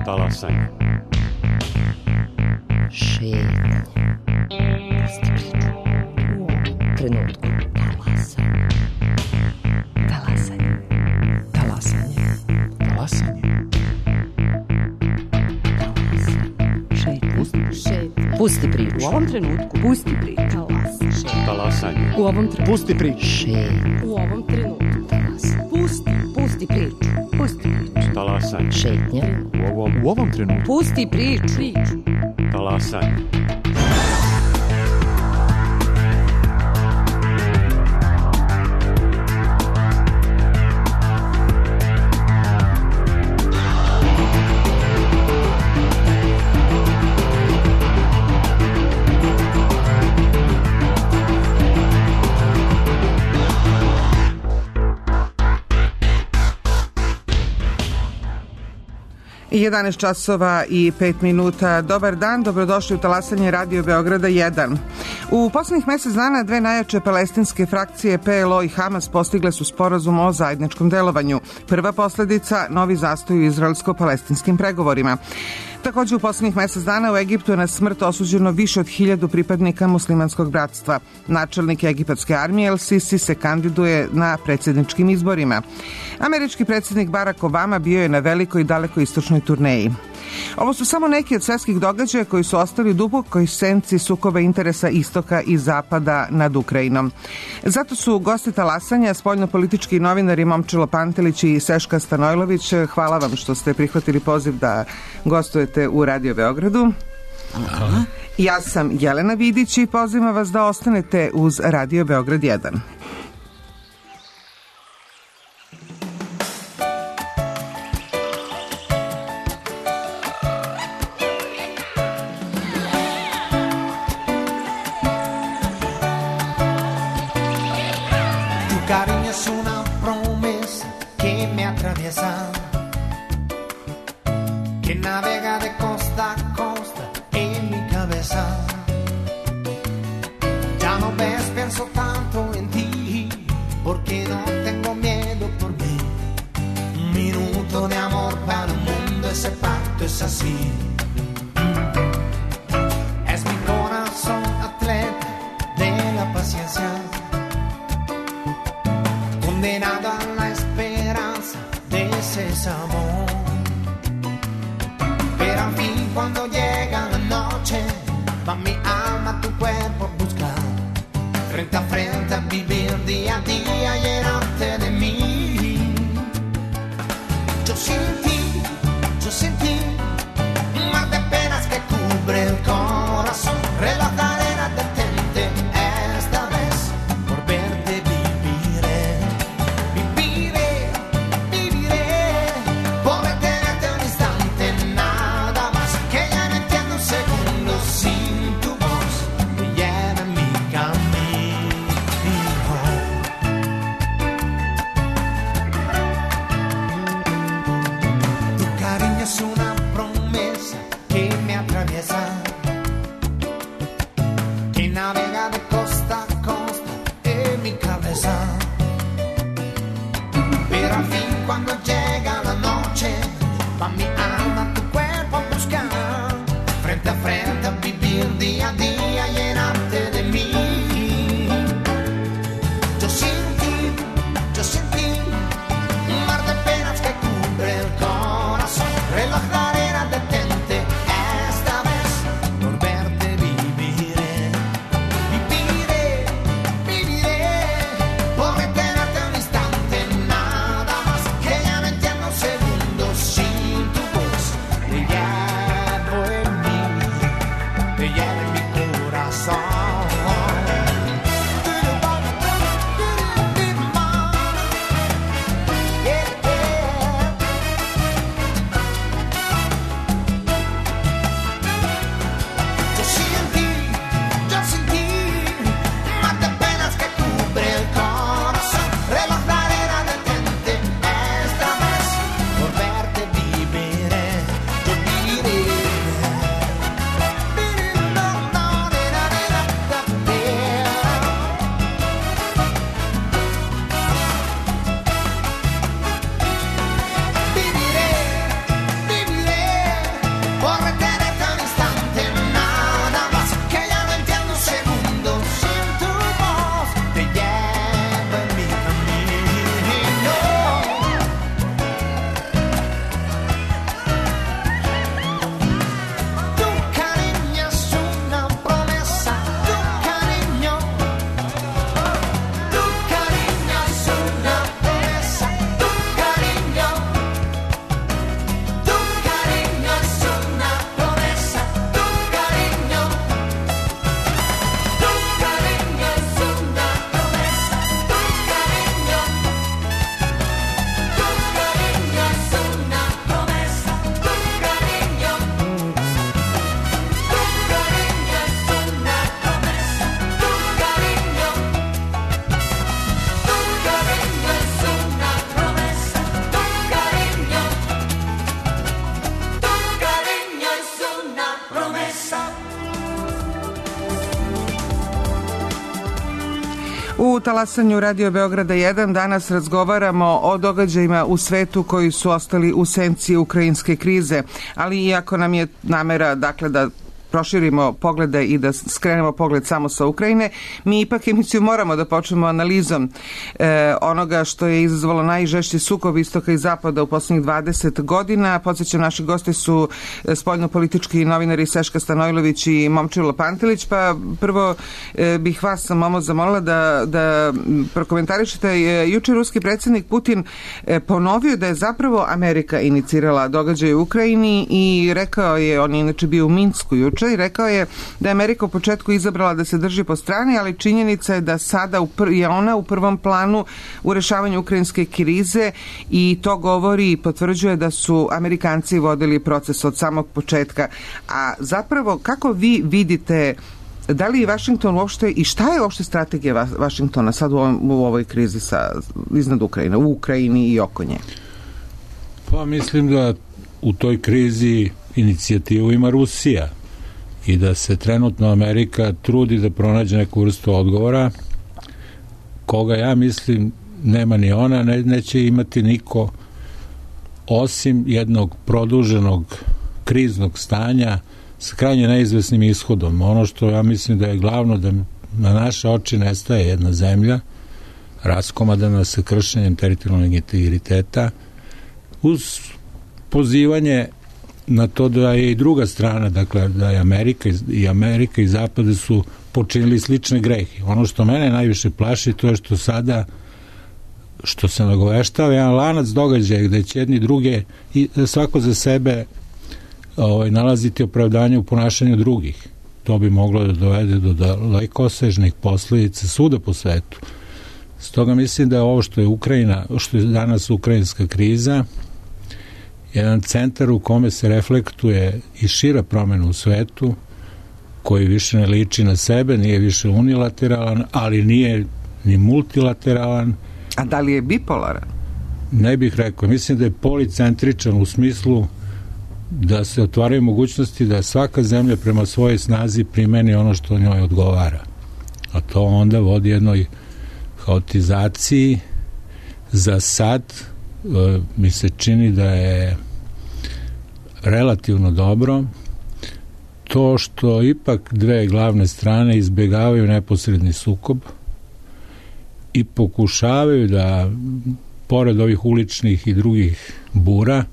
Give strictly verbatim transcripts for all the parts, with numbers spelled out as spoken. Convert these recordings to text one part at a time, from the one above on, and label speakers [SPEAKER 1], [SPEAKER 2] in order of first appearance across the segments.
[SPEAKER 1] Talasanje.
[SPEAKER 2] Šetnje. Pusti priču. U ovom trenutku. Talasanje. Talasanje. Talasanje.
[SPEAKER 1] Talasanje.
[SPEAKER 2] Šetnje. Pusti priču.
[SPEAKER 3] U ovom trenutku. Pusti priču.
[SPEAKER 1] Talasanje.
[SPEAKER 3] U ovom trenutku.
[SPEAKER 1] Pusti priču.
[SPEAKER 2] Šetnje.
[SPEAKER 3] U ovom trenutku.
[SPEAKER 2] Talasanje.
[SPEAKER 3] Pusti. Pusti priču. Pusti priču.
[SPEAKER 1] Talasanje.
[SPEAKER 2] Šetnje.
[SPEAKER 1] U ovom, u ovom trenutku.
[SPEAKER 3] Pusti priču. Priču.
[SPEAKER 1] Talasanje.
[SPEAKER 4] jedanaest časova i pet minuta. Dobar dan, dobrodošli u talasanje Radio Beograda jedan. U poslednjih mesec dana dve najjače palestinske frakcije P L O i Hamas postigle su sporazum o zajedničkom delovanju. Prva posledica, novi zastoj u izraelsko-palestinskim pregovorima. Takođe, u poslednjih mesec dana u Egiptu je na smrt osuđeno više od hiljadu pripadnika muslimanskog bratstva. Načelnik egipatske armije El Sisi se kandiduje na predsjedničkim izborima. Američki predsjednik Barack Obama bio je na velikoj i daleko istočnoj turneji. Ovo su samo neki od svetskih događaja koji su ostali u dubokoj senci sukoba interesa istoka i zapada nad Ukrajinom. Zato su gosti talasanja spoljnopolitički novinari Momčilo Pantelić i Seška Stanojlović. Hvala vam što ste prihvatili poziv da gostujete u Radio Beogradu. Aha. Ja sam Jelena Vidić i pozivam vas da ostanete uz Radio Beograd jedan.
[SPEAKER 5] Por retenerte un instante, nada más que ya no
[SPEAKER 4] talasanju Radio Beograda jedan danas razgovaramo o događajima u svetu koji su ostali u senci ukrajinske krize, ali iako nam je namera dakle da proširimo poglede i da skrenemo pogled samo sa Ukrajine, mi ipak emisiju moramo da počnemo analizom e, onoga što je izazvalo najžešći sukob istoka i zapada u posljednjih dvadeset godina. Podsjećam, naši gosti su spoljnopolitički novinari Seška Stanojlović i Momčilo Pantelić, pa prvo e, bih vas, Momo, zamolila da, da prokomentarišete. E, juče ruski predsjednik Putin e, ponovio da je zapravo Amerika inicirala događaj u Ukrajini i rekao je, on je inače bio u Minsku juče, i rekao je da je Amerika u početku izabrala da se drži po strani, ali činjenica je da sada je ona u prvom planu u rešavanju ukrajinske krize i to govori i potvrđuje da su Amerikanci vodili proces od samog početka. A zapravo, kako vi vidite, da li je Vašington uopšte, i šta je uopšte strategija Vašingtona sad u, ovom, u ovoj krizi sa, iznad Ukrajine, u Ukrajini i oko nje?
[SPEAKER 5] Pa mislim da u toj krizi inicijativu ima Rusija i da se trenutno Amerika trudi da pronađe neku vrstu odgovora koga, ja mislim, nema ni ona, ne, neće imati niko osim jednog produženog kriznog stanja s krajnje neizvesnim ishodom. Ono što ja mislim da je glavno, da na naše oči nestaje jedna zemlja raskomadana sa kršenjem teritorijalnog integriteta uz pozivanje na to da je i druga strana, dakle da je Amerika i Amerika i Zapad su počinili slične grehe. Ono što mene najviše plaši, to je što sada, što se nagoveštava jedan lanac događaja gde će jedni druge i svako za sebe ovaj, nalaziti opravdanje u ponašanju drugih. To bi moglo da dovede do dalekosežnih posledica svuda po svetu. Stoga mislim da je ovo što je Ukrajina, što je danas ukrajinska kriza, jedan centar u kome se reflektuje i šira promena u svetu, koji više ne liči na sebe, nije više unilateralan, ali nije ni multilateralan.
[SPEAKER 4] A da li je bipolaran?
[SPEAKER 5] Ne bih rekao. Mislim da je policentričan u smislu da se otvaraju mogućnosti da svaka zemlja prema svojoj snazi primeni ono što njoj odgovara. A to onda vodi jednoj haotizaciji. Za sad mi se čini da je relativno dobro to što ipak dve glavne strane izbjegavaju neposredni sukob i pokušavaju da, pored ovih uličnih i drugih bura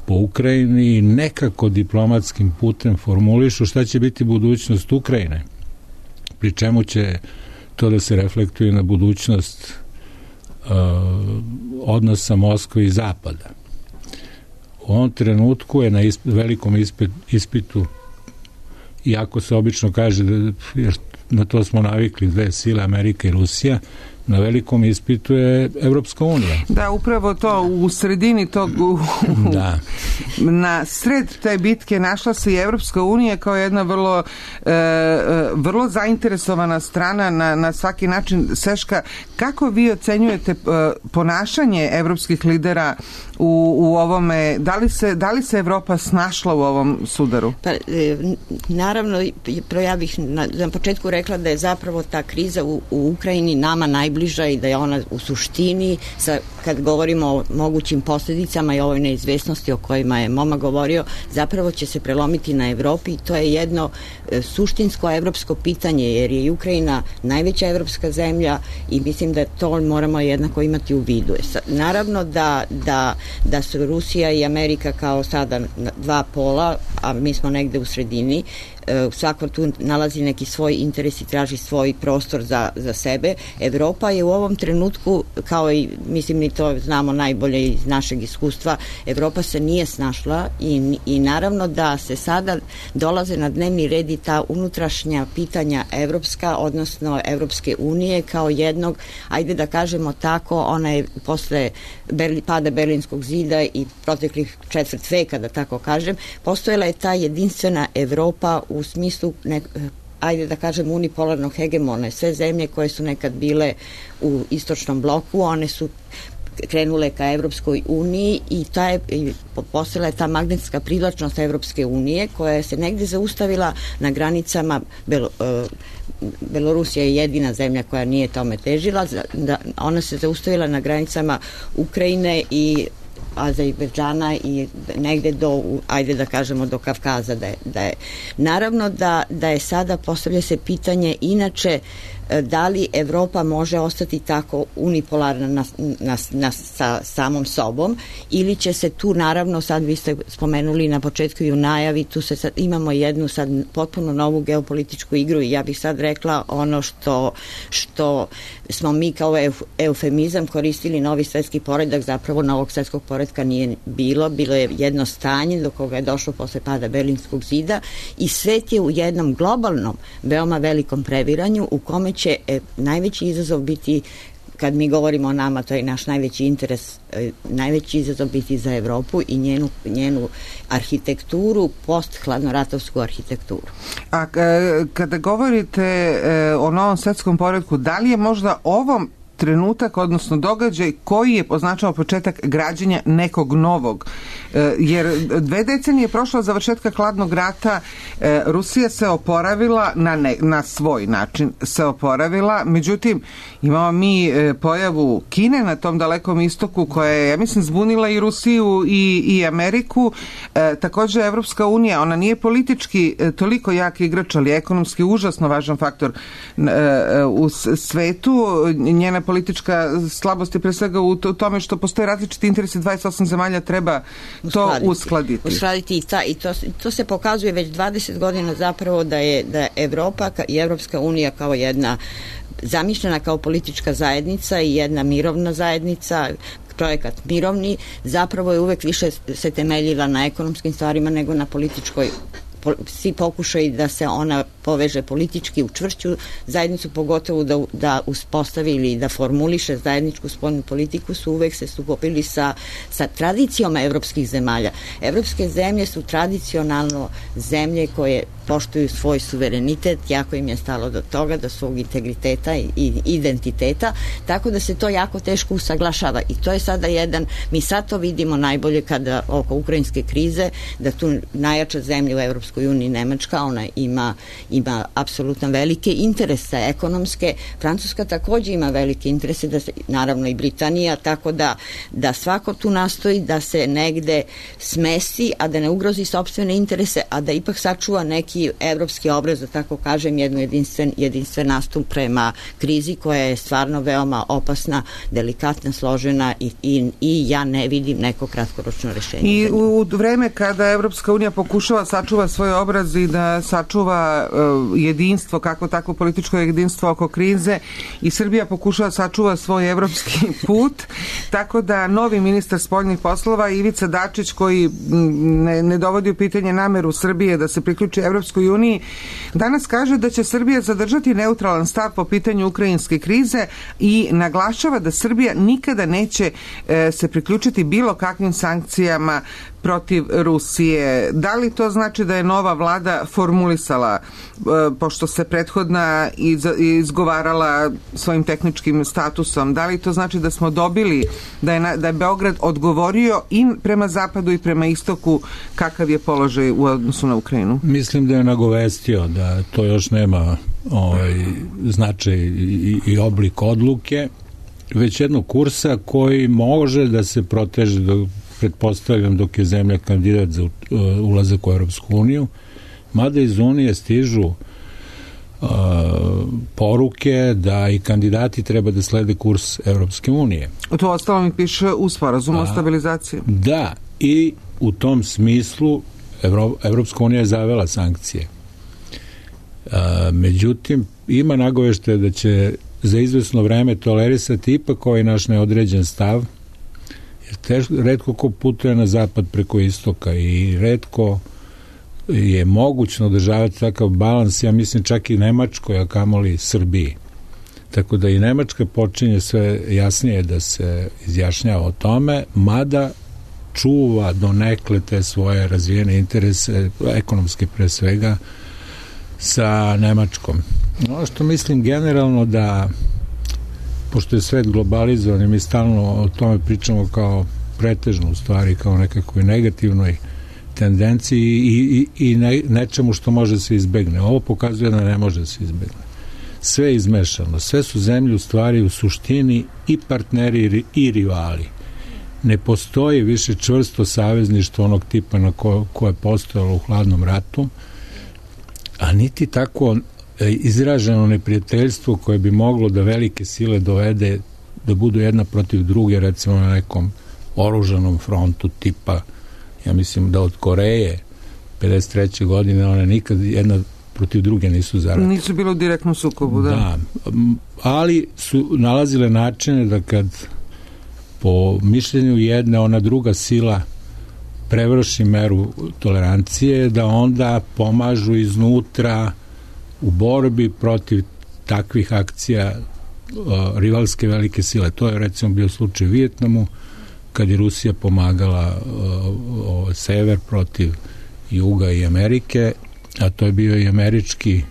[SPEAKER 5] po Ukrajini, nekako diplomatskim putem formulišu šta će biti budućnost Ukrajine, pri čemu će to da se reflektuje na budućnost uh, odnosa Moskve i Zapada. U ovom trenutku je na isp, velikom ispit, ispitu, iako se obično kaže da, jer na to smo navikli, dve sile, Amerika i Rusija, na velikom ispitu je Evropska unija.
[SPEAKER 4] Da, upravo to, u sredini tog, u,
[SPEAKER 5] da.
[SPEAKER 4] na sred te bitke našla se i Evropska unija kao jedna vrlo e, vrlo zainteresovana strana na, na svaki način. Seška, kako vi ocenjujete e, ponašanje evropskih lidera u, u ovome, da li se, da li se Evropa snašla u ovom sudaru?
[SPEAKER 6] Pa, e, naravno, ja bih na, na početku rekla da je zapravo ta kriza u, u Ukrajini nama najbliža i da je ona u suštini, sa, kad govorimo o mogućim posljedicama i ovoj neizvesnosti o kojima je Moma govorio, zapravo će se prelomiti na Evropi i to je jedno e, suštinsko evropsko pitanje, jer je Ukrajina najveća evropska zemlja i mislim da to moramo jednako imati u vidu. Naravno da, da, da su Rusija i Amerika kao sada dva pola, a mi smo negde u sredini, svako tu nalazi neki svoj interes i traži svoj prostor za, za sebe. Evropa je u ovom trenutku, kao i mislim mi to znamo najbolje iz našeg iskustva, Evropa se nije snašla i, i naravno da se sada dolaze na dnevni red i ta unutrašnja pitanja evropska, odnosno Evropske unije kao jednog, ajde da kažemo tako, ona je posle Berli, pada Berlinskog zida i proteklih četvrt veka, da tako kažem, postojala je ta jedinstvena Evropa u smislu, ne, ajde da kažem, unipolarnog hegemona. Sve zemlje koje su nekad bile u istočnom bloku, one su krenule ka Evropskoj uniji i ta je, postala je ta magnetska privlačnost Evropske unije koja se negde zaustavila na granicama Belo, Belorusija je jedina zemlja koja nije tome težila, da, ona se zaustavila na granicama Ukrajine i Azerbejdžana i negde do, ajde da kažemo, do Kavkaza da je. Da je. Naravno da, da je sada, postavlja se pitanje inače da li Evropa može ostati tako unipolarna na, na, na, sa samom sobom ili će se tu, naravno, sad vi ste spomenuli na početku i u najavi, tu se sad, imamo jednu sad potpuno novu geopolitičku igru i ja bih sad rekla ono što, što smo mi kao euf, eufemizam koristili novi svetski poredak, zapravo novog svetskog poredka nije bilo, bilo je jedno stanje do koga je došlo posle pada Berlinskog zida i svet je u jednom globalnom, veoma velikom previranju u kome će e, najveći izazov biti, kad mi govorimo o nama, to je naš najveći interes, e, najveći izazov biti za Evropu i njenu, njenu arhitekturu, post-hladnoratovsku arhitekturu.
[SPEAKER 4] A kada govorite e, o novom svetskom poretku, da li je možda ovom trenutak, odnosno događaj koji je označao početak građenja nekog novog? E, jer dve decenije prošlo od završetka hladnog rata, e, Rusija se oporavila na, ne, na svoj način se oporavila, međutim imamo mi e, pojavu Kine na tom dalekom istoku koja je, ja mislim, zbunila i Rusiju i, i Ameriku. E, takođe Evropska unija, ona nije politički e, toliko jak igrač, ali ekonomski užasno važan faktor e, u svetu. Njena politička slabost je pre svega u tome što postoje različiti interesi, dvadeset osam zemalja treba to uskladiti. Uskladiti,
[SPEAKER 6] uskladiti i, ta, i to, to se pokazuje već dvadeset godina zapravo da je da Evropa i Evropska unija kao jedna zamišljena kao politička zajednica i jedna mirovna zajednica, projekat mirovni, zapravo je uvek više se temeljila na ekonomskim stvarima nego na političkoj. Svi pokušaju da se ona poveže politički u čvršću zajednicu, pogotovo da, da uspostavi ili da formuliše zajedničku spoljnu politiku, su uvek se sukobili sa, sa tradicijom evropskih zemalja. Evropske zemlje su tradicionalno zemlje koje poštuju svoj suverenitet, jako im je stalo do toga, do svog integriteta i identiteta, tako da se to jako teško usaglašava i to je sada jedan, mi sad to vidimo najbolje kada oko ukrajinske krize, da tu najjača zemlja u Evropskoj uniji, Nemačka, ona ima ima apsolutno velike interese ekonomske, Francuska takođe ima velike interese, da se, naravno i Britanija, tako da, da svako tu nastoji da se negde smesi, a da ne ugrozi sopstvene interese, a da ipak sačuva neki evropski obraz, da tako kažem, jednu jedinstven, jedinstven nastup prema krizi koja je stvarno veoma opasna, delikatna, složena i, i, i ja ne vidim neko kratkoročno rešenje.
[SPEAKER 4] I u, u vreme kada Evropska unija pokušava sačuva svoj obraz i da sačuva jedinstvo, kako tako političko jedinstvo oko krize, i Srbija pokušava sačuva svoj evropski put, tako da novi ministar spoljnih poslova Ivica Dačić, koji ne, ne dovodi u pitanje nameru Srbije da se priključi Evropskoj uniji, danas kaže da će Srbija zadržati neutralan stav po pitanju ukrajinske krize i naglašava da Srbija nikada neće e, se priključiti bilo kakvim sankcijama protiv Rusije. Da li to znači da je nova vlada formulisala, e, pošto se prethodna iz, izgovarala svojim tehničkim statusom, da li to znači da smo dobili, da je, na, da je Beograd odgovorio i prema zapadu i prema istoku kakav je položaj u odnosu na Ukrajinu?
[SPEAKER 5] Mislim da je nagovestio da to još nema ovaj, značaj i, i oblik odluke, već jednog kursa koji može da se proteže do, pretpostavljam, dok je zemlja kandidat za ulazak u Europsku uniju, mada iz Unije stižu uh, poruke da i kandidati treba da slede kurs Europske unije.
[SPEAKER 4] To ostalo mi piše u sporazumu o stabilizaciji.
[SPEAKER 5] Da, i u tom smislu Evro, Evropska unija je zavela sankcije. Uh, međutim, ima nagovešte da će za izvesno vreme tolerisati ipak ovaj naš neodređen stav, jer tež, retko ko putuje na zapad preko istoka i retko je mogućno održavati takav balans, ja mislim čak i Nemačkoj, a kamoli Srbiji. Tako da i Nemačka počinje sve jasnije da se izjašnjava o tome, mada čuva donekle te svoje razvijene interese, ekonomske pre svega, sa Nemačkom. Ono što mislim generalno da pošto je svet globalizovan i mi stalno o tome pričamo kao pretežno u stvari, kao nekakvoj negativnoj tendenciji i, i, i ne, nečemu što može se izbegne. Ovo pokazuje da ne može se izbegne. Sve je izmešano. Sve su zemlje u stvari u suštini i partneri i rivali. Ne postoji više čvrsto savezništvo onog tipa na ko, koje je postojalo u hladnom ratu, a niti tako izraženo neprijateljstvo koje bi moglo da velike sile dovede da budu jedna protiv druge, recimo na nekom oružanom frontu tipa, ja mislim da od Koreje pedeset treće godine one nikad jedna protiv druge nisu zaratile.
[SPEAKER 4] Nisu bilo u direktnom sukobu, da.
[SPEAKER 5] Da, ali su nalazile načine da kad po mišljenju jedne ona druga sila prevrši meru tolerancije, da onda pomažu iznutra u borbi protiv takvih akcija uh, rivalske velike sile. To je recimo bio slučaj u Vijetnamu, kad je Rusija pomagala uh, uh, sever protiv juga i Amerike, a to je bio i američki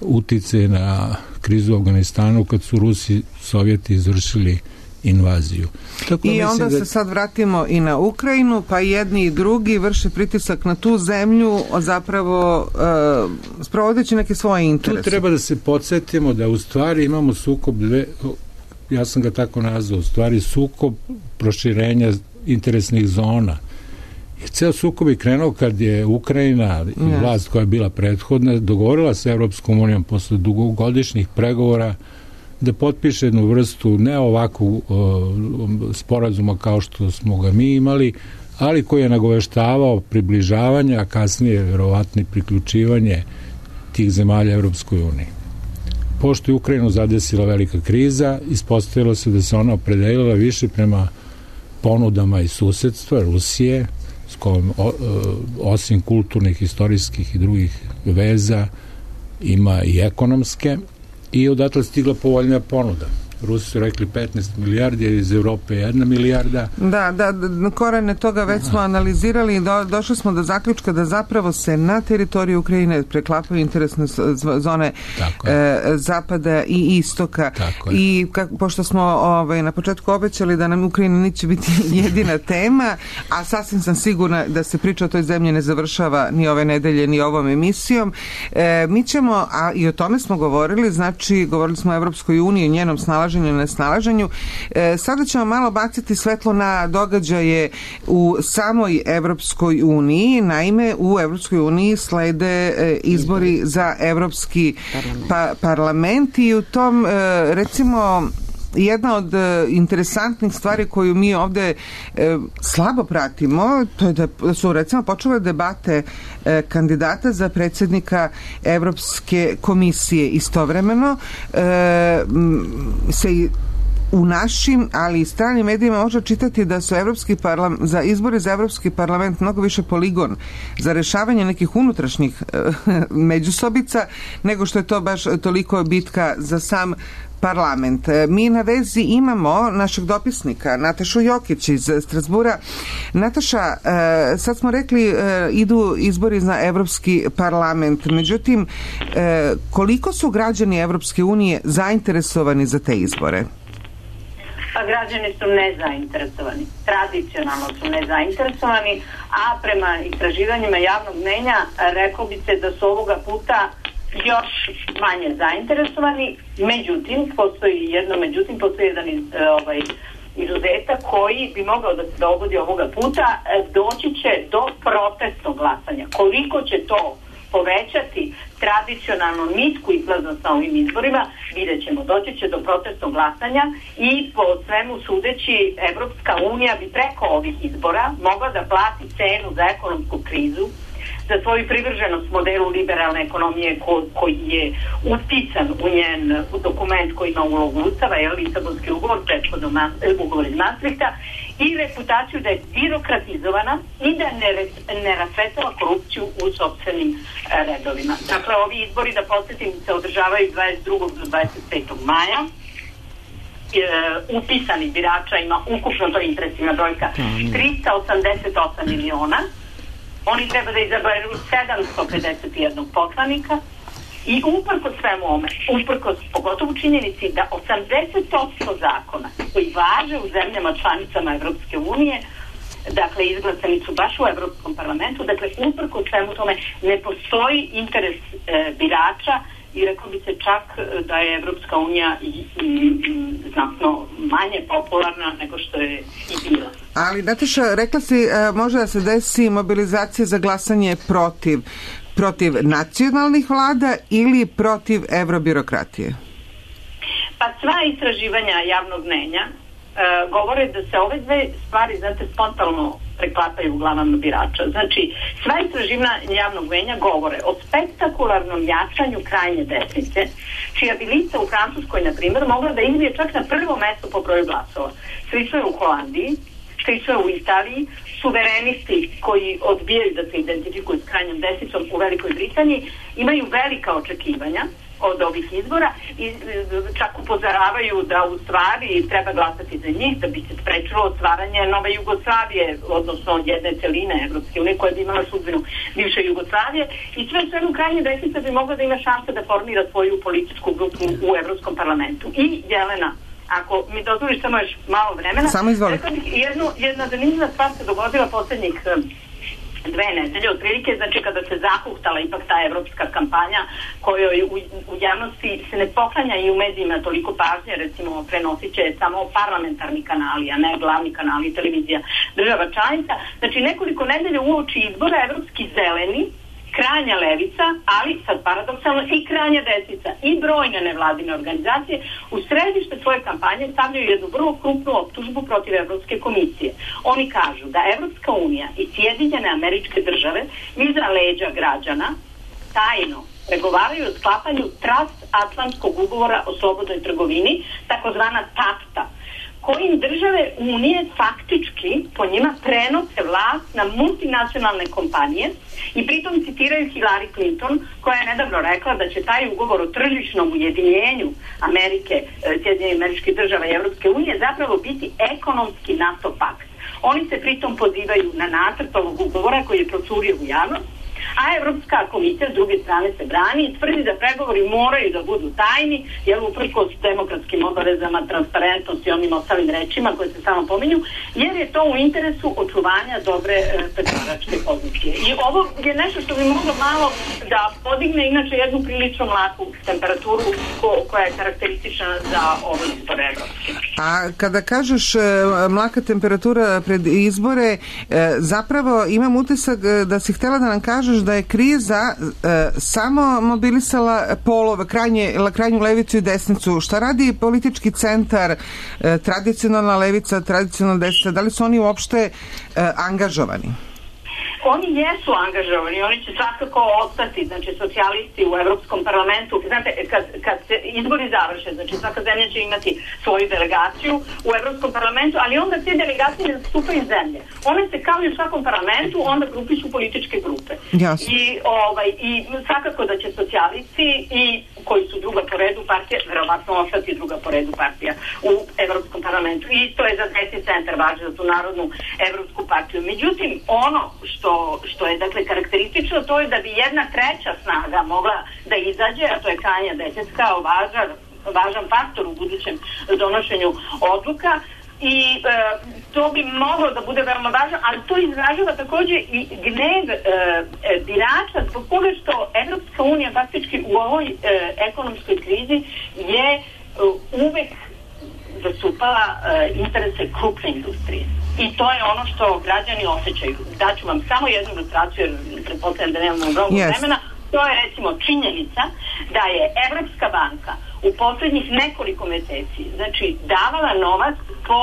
[SPEAKER 5] uticaj na krizu u Afganistanu kad su Rusi, Sovjeti izvršili invaziju. Tako
[SPEAKER 4] I onda da... se sad vratimo i na Ukrajinu, pa jedni i drugi vrše pritisak na tu zemlju, zapravo uh, sprovodeći neke svoje interese.
[SPEAKER 5] Tu treba da se podsjetimo da u stvari imamo sukob dve, ja sam ga tako nazvao, u stvari sukob proširenja interesnih zona. I ceo sukob je krenuo kad je Ukrajina i yes. vlast koja je bila prethodna dogovorila sa Evropskom unijom posle dugogodišnjih pregovora da potpiše jednu vrstu ne ovakvu uh, sporazuma kao što smo ga mi imali, ali koji je nagoveštavao približavanje, a kasnije verovatno priključivanje tih zemalja Evropskoj uniji. Pošto je Ukrajinu zadesila velika kriza, ispostavilo se da se ona opredelila više prema ponudama i susedstva Rusije, s kojom o, osim kulturnih, istorijskih i drugih veza ima i ekonomske, i odatle stigla povoljnija ponuda. Rusi su rekli petnaest milijardi, a iz Evrope jedna milijarda.
[SPEAKER 4] Da, da, da korene toga već smo analizirali i do, došli smo do zaključka da zapravo se na teritoriju Ukrajine preklapaju interesne zone e, zapada i istoka. I ka, pošto smo ovaj, na početku obećali da nam Ukrajina neće biti jedina tema, a sasvim sam sigurna da se priča o toj zemlji ne završava ni ove nedelje, ni ovom emisijom. E, mi ćemo, a i o tome smo govorili, znači govorili smo o Evropskoj uniji, njenom snalaženju i nesnalaženju. E, sada ćemo malo baciti svetlo na događaje u samoj Evropskoj uniji. Naime, u Evropskoj uniji slede e, izbori za Evropski pa, parlament i u tom, e, recimo, jedna od e, interesantnih stvari koju mi ovde e, slabo pratimo, to je da su recimo počele debate e, kandidata za predsjednika Evropske komisije. Istovremeno e, se u našim, ali i stranim medijima može čitati da su evropski parlament, za izbori za Evropski parlament mnogo više poligon za rešavanje nekih unutrašnjih e, međusobica, nego što je to baš toliko bitka za sam parlament. Mi na vezi imamo našeg dopisnika Natašu Jokić iz Strasbura. Nataša, sad smo rekli idu izbori za Evropski parlament, međutim koliko su građani Evropske unije zainteresovani za te izbore?
[SPEAKER 7] Pa građani su nezainteresovani. Tradicionalno su nezainteresovani, a prema istraživanjima javnog mnenja rekao bi se da su ovoga puta još manje zainteresovani. Međutim, postoji jedno međutim, postoji jedan iz, ovaj, izuzetak koji bi mogao da se dogodi ovoga puta. Doći će do protestnog glasanja. Koliko će to povećati tradicionalno nisku izlaznost na ovim izborima, vidjet ćemo. Doći će do protestnog glasanja i po svemu sudeći Evropska unija bi preko ovih izbora mogla da plati cenu za ekonomsku krizu, za svoju privrženost modelu liberalne ekonomije ko, koji je utican u njen u dokument koji ima ulogu Ustava, je Lisabonski ugovor, prethodno ugovor iz Maastrichta, i reputaciju da je birokratizovana i da ne, ne rasvetava korupciju u sopstvenim redovima. Dakle, ovi izbori, da podsjetim, se održavaju dvadeset drugog do dvadeset petog maja. E, upisanih birača ima ukupno, to je impresivna brojka, trista osamdeset osam miliona. Oni treba da izaberu sedamsto pedeset jedan poslanika I uprkos svemu ome, uprkos pogotovo činjenici da osamdeset posto zakona koji važe u zemljama članicama Evropske unije, dakle izglasani su baš u Evropskom parlamentu, dakle uprkos svemu tome ne postoji interes e, birača i rekao bi se čak da je Evropska unija i, i, i znatno manje popularna nego što je i bila.
[SPEAKER 4] Ali, Nataša, rekla si, može da se desi mobilizacija za glasanje protiv, protiv nacionalnih vlada ili protiv evrobirokratije?
[SPEAKER 7] Pa sva istraživanja javnog mnenja e, govore da se ove dve stvari, znate, spontano preklapaju u glavama birača. Znači, sva istraživanja javnog mnenja govore o spektakularnom jačanju krajnje desnice, čija bi lista u Francuskoj, na primjer, mogla da izbije čak na prvo mesto po broju glasova. Slično je u Holandiji, slično je u Italiji, suverenisti koji odbijaju da se identifikuju s krajnjom desnicom u Velikoj Britaniji imaju velika očekivanja od ovih izbora i čak upozoravaju da u stvari treba glasati za njih da bi se sprečilo stvaranje nove Jugoslavije, odnosno jedne celine Evropske unije koja bi imala sudbinu bivše Jugoslavije i sve svemu krajnje desnica bi mogla da ima šanse da formira svoju političku grupu u Evropskom parlamentu. I Jelena, ako mi dozvoliš samo još malo vremena,
[SPEAKER 4] samo izvoli.
[SPEAKER 7] Jednu, jedna zanimljiva stvar se dogodila poslednjih dve nedelje, otprilike, znači kada se zahuktala ipak ta evropska kampanja kojoj u, u javnosti se ne poklanja i u medijima toliko pažnje, recimo prenosit će samo parlamentarni kanali, a ne glavni kanali televizija država članica. Znači nekoliko nedelja uoči izbora evropski zeleni, krajnja levica, ali sad paradoksalno i krajnja desnica i brojne nevladine organizacije u središte svoje kampanje stavljaju jednu vrlo krupnu optužbu protiv Evropske komisije. Oni kažu da Evropska unija i Sjedinjene Američke Države iza leđa građana tajno pregovaraju o sklapanju transatlantskog ugovora o slobodnoj trgovini, takozvana TAFTA, kojim države Unije faktički po njima prenose vlast na multinacionalne kompanije i pritom citiraju Hillary Clinton koja je nedavno rekla da će taj ugovor o tržišnom ujedinjenju Amerike, Sjedinjenih Američkih Država i Evropske unije zapravo biti ekonomski NATO pakt. Oni se pritom pozivaju na nacrt ovog ugovora koji je procurio u javnost, a Evropska komisija s druge strane se brani i tvrdi da pregovori moraju da budu tajni, jer uprkos demokratskim obavezama, transparentnosti i onim ostalim rečima koje se samo pominju, jer je to u interesu očuvanja dobre e, pregovaračke pozicije. I ovo je nešto što bi moglo malo da podigne inače jednu prilično mlaku temperaturu ko, koja je karakteristična za ovo izbore evropske.
[SPEAKER 4] A kada kažeš e, mlaka temperatura pred izbore, e, zapravo imam utisak da si htjela da nam kažeš da je kriza e, samo mobilisala polove, krajnje, krajnju levicu i desnicu. Šta radi politički centar, e, tradicionalna levica, tradicionalna desnica, da li su oni uopšte e, angažovani?
[SPEAKER 7] Oni jesu angažovani, oni će svakako ostati, znači socijalisti u Evropskom parlamentu. Znate, kad, kad se izbori završe, znači svaka zemlja će imati svoju delegaciju u Evropskom parlamentu, ali onda te delegacije ne zastupaju zemlje. One se kao i u svakom parlamentu onda grupišu političke grupe.
[SPEAKER 4] Jasno.
[SPEAKER 7] I, ovaj, I svakako da će socijalisti i koji su druga po redu partija, verovatno ostati druga po redu partija u Evropskom parlamentu. I to je za desni centar važno, za tu Narodnu Evropsku partiju. Međutim, ono što što je dakle karakteristično, to je da bi jedna treća snaga mogla da izađe, a to je krajnja desnica kao važan, važan faktor u budućem donošenju odluka i e, to bi moglo da bude veoma važno, ali to izražava također i gnev e, e, birača zbog toga što Evropska unija faktički u ovoj e, ekonomskoj krizi je e, uvek zastupala e, interese krupne industrije. I to je ono što građani osjećaju. Daću vam samo jednu ilustraciju, jer pretpostavljam da nemamo mnogo yes. vremena. To je recimo činjenica da je Evropska banka u poslednjih nekoliko meseci znači davala novac po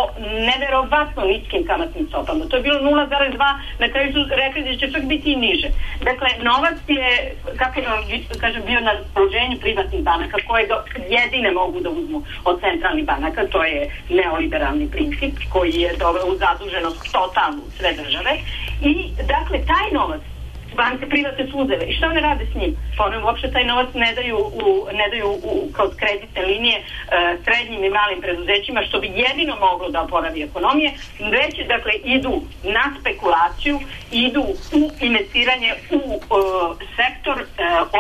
[SPEAKER 7] neverovatno niskim kamatnim stopama. To je bilo nula zarez dva, na kraju su rekli da će čak biti i niže. Dakle, novac je, kako da kažem, bio na raspoloženju privatnih banaka koje jedine mogu da uzmu od centralnih banaka. To je neoliberalni princip koji je doveo u zaduženost totalnu sve države. I dakle, taj novac banke privatne su uzele. I šta one rade s njim? Pa one uopšte taj novac ne daju, u, ne daju u, kao kreditne linije e, srednjim i malim preduzećima, što bi jedino moglo da oporavi ekonomije, već dakle idu na spekulaciju, idu u investiranje u e, sektor e,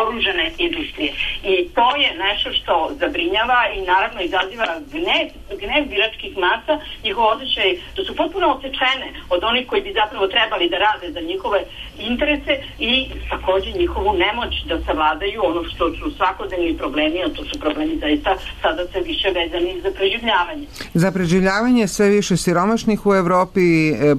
[SPEAKER 7] oružane industrije. I to je nešto što zabrinjava i naravno izaziva gnev, gnev biračkih masa, njihov osjećaj da su potpuno osečene od onih koji bi zapravo trebali da rade za njihove interese i takođe njihovu nemoć da savladaju ono što su svakodnevni problemi, a to su problemi zaista sada sve više vezani za preživljavanje.
[SPEAKER 4] Za preživljavanje sve više siromašnih u Evropi,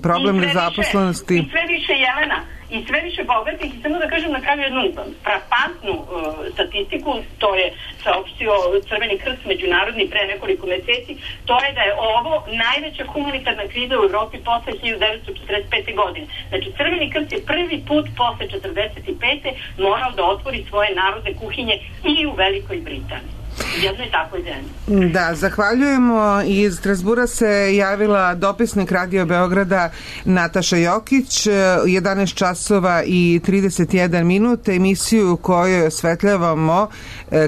[SPEAKER 4] problem nezaposlenosti.
[SPEAKER 7] I sve više Jelena, i sve više bogatih, i samo da kažem na kraju jednu frapantnu uh, statistiku, to je saopštio Crveni krst međunarodni pre nekoliko meseci, to je da je ovo najveća humanitarna kriza u Evropi posle hiljadu devetsto četrdeset pete. godine. Znači, Crveni krst je prvi put posle četrdeset pete. morao da otvori svoje narodne kuhinje i u Velikoj Britaniji. Jednoj takvoj zemlji.
[SPEAKER 4] Da, zahvaljujemo. Iz Strasbura se javila dopisnik Radio Beograda Nataša Jokić, jedanaest časova i trideset jedan minut. Emisiju u kojoj osvetljavamo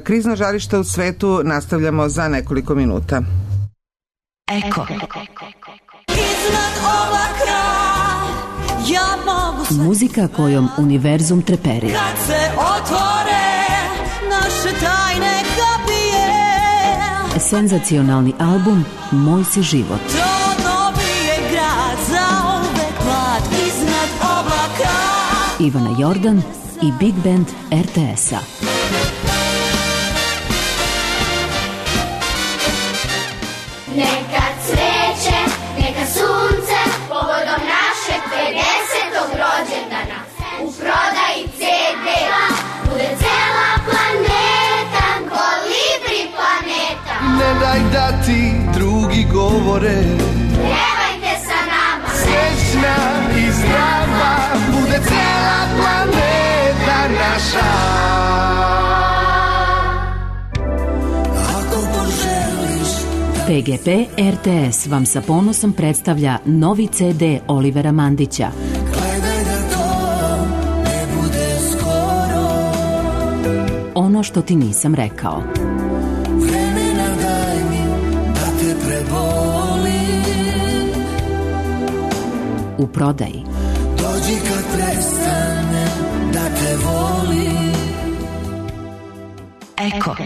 [SPEAKER 4] krizna žarišta u svetu nastavljamo za nekoliko minuta.
[SPEAKER 2] Eko.
[SPEAKER 8] Iznad oblaka ja mogu sve.
[SPEAKER 9] Muzika kojom univerzum treperi.
[SPEAKER 8] Kad se otvore naše tajne kapije.
[SPEAKER 9] Senzacionalni album Moj si život.
[SPEAKER 8] To dobije grad za uvek mlad iznad oblaka.
[SPEAKER 9] Ivana Jordan i Big Band er te es-a.
[SPEAKER 10] Neka cveće, neka sunce, povodom našeg pedesetog rođendana. U prodaji ce de bude cela planeta, Kolibri planeta.
[SPEAKER 11] Ne daj da ti drugi govore,
[SPEAKER 10] Pjevajte sa nama,
[SPEAKER 11] srećna i zdrava, bude cela planeta naša.
[SPEAKER 8] Ako poželiš
[SPEAKER 9] pe ge pe er te es vam sa ponosom predstavlja novi ce de Olivera Mandića.
[SPEAKER 8] gledaj da to ne bude skoro.
[SPEAKER 9] Ono što ti nisam rekao.
[SPEAKER 8] Vremena daj mi da te prebolim.
[SPEAKER 9] U prodaji.
[SPEAKER 8] Dođi kad prestane da te volim.
[SPEAKER 9] Eko.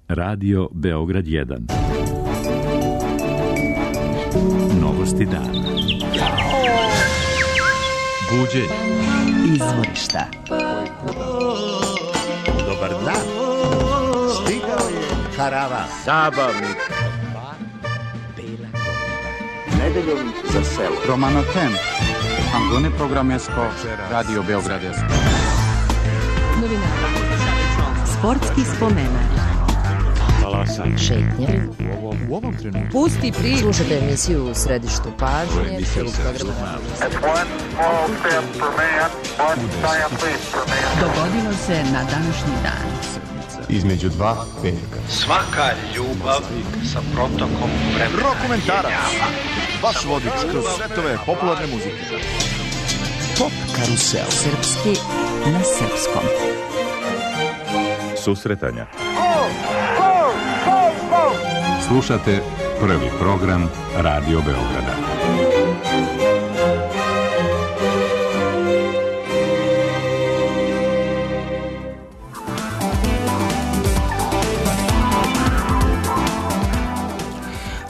[SPEAKER 1] Radio Beograd jedan. Novosti dana. Buđenje.
[SPEAKER 2] Izvorišta.
[SPEAKER 12] Dobar dan. Stigao je karavan.
[SPEAKER 13] Zabavnik.
[SPEAKER 12] Nedeljom za selo.
[SPEAKER 13] Romano Ten. Angone programesko. Radio Beogradesko.
[SPEAKER 2] Novinara. Sportski spomenar.
[SPEAKER 1] Talasanje.
[SPEAKER 2] Šetnje.
[SPEAKER 1] U ovom, u ovom trenutku.
[SPEAKER 3] Pusti priču.
[SPEAKER 2] Slušajte emisiju u središtu pažnje.
[SPEAKER 3] Dogodilo se na današnji dan.
[SPEAKER 11] Između dva petka.
[SPEAKER 12] Svaka ljubav sa protokom vremena.
[SPEAKER 11] Rokomentarac. Vaš vodič kroz svetove popularne muzike. Pop karusel.
[SPEAKER 2] Srpski na srpskom.
[SPEAKER 14] Susretanja. Slušate prvi program Radio Beograda.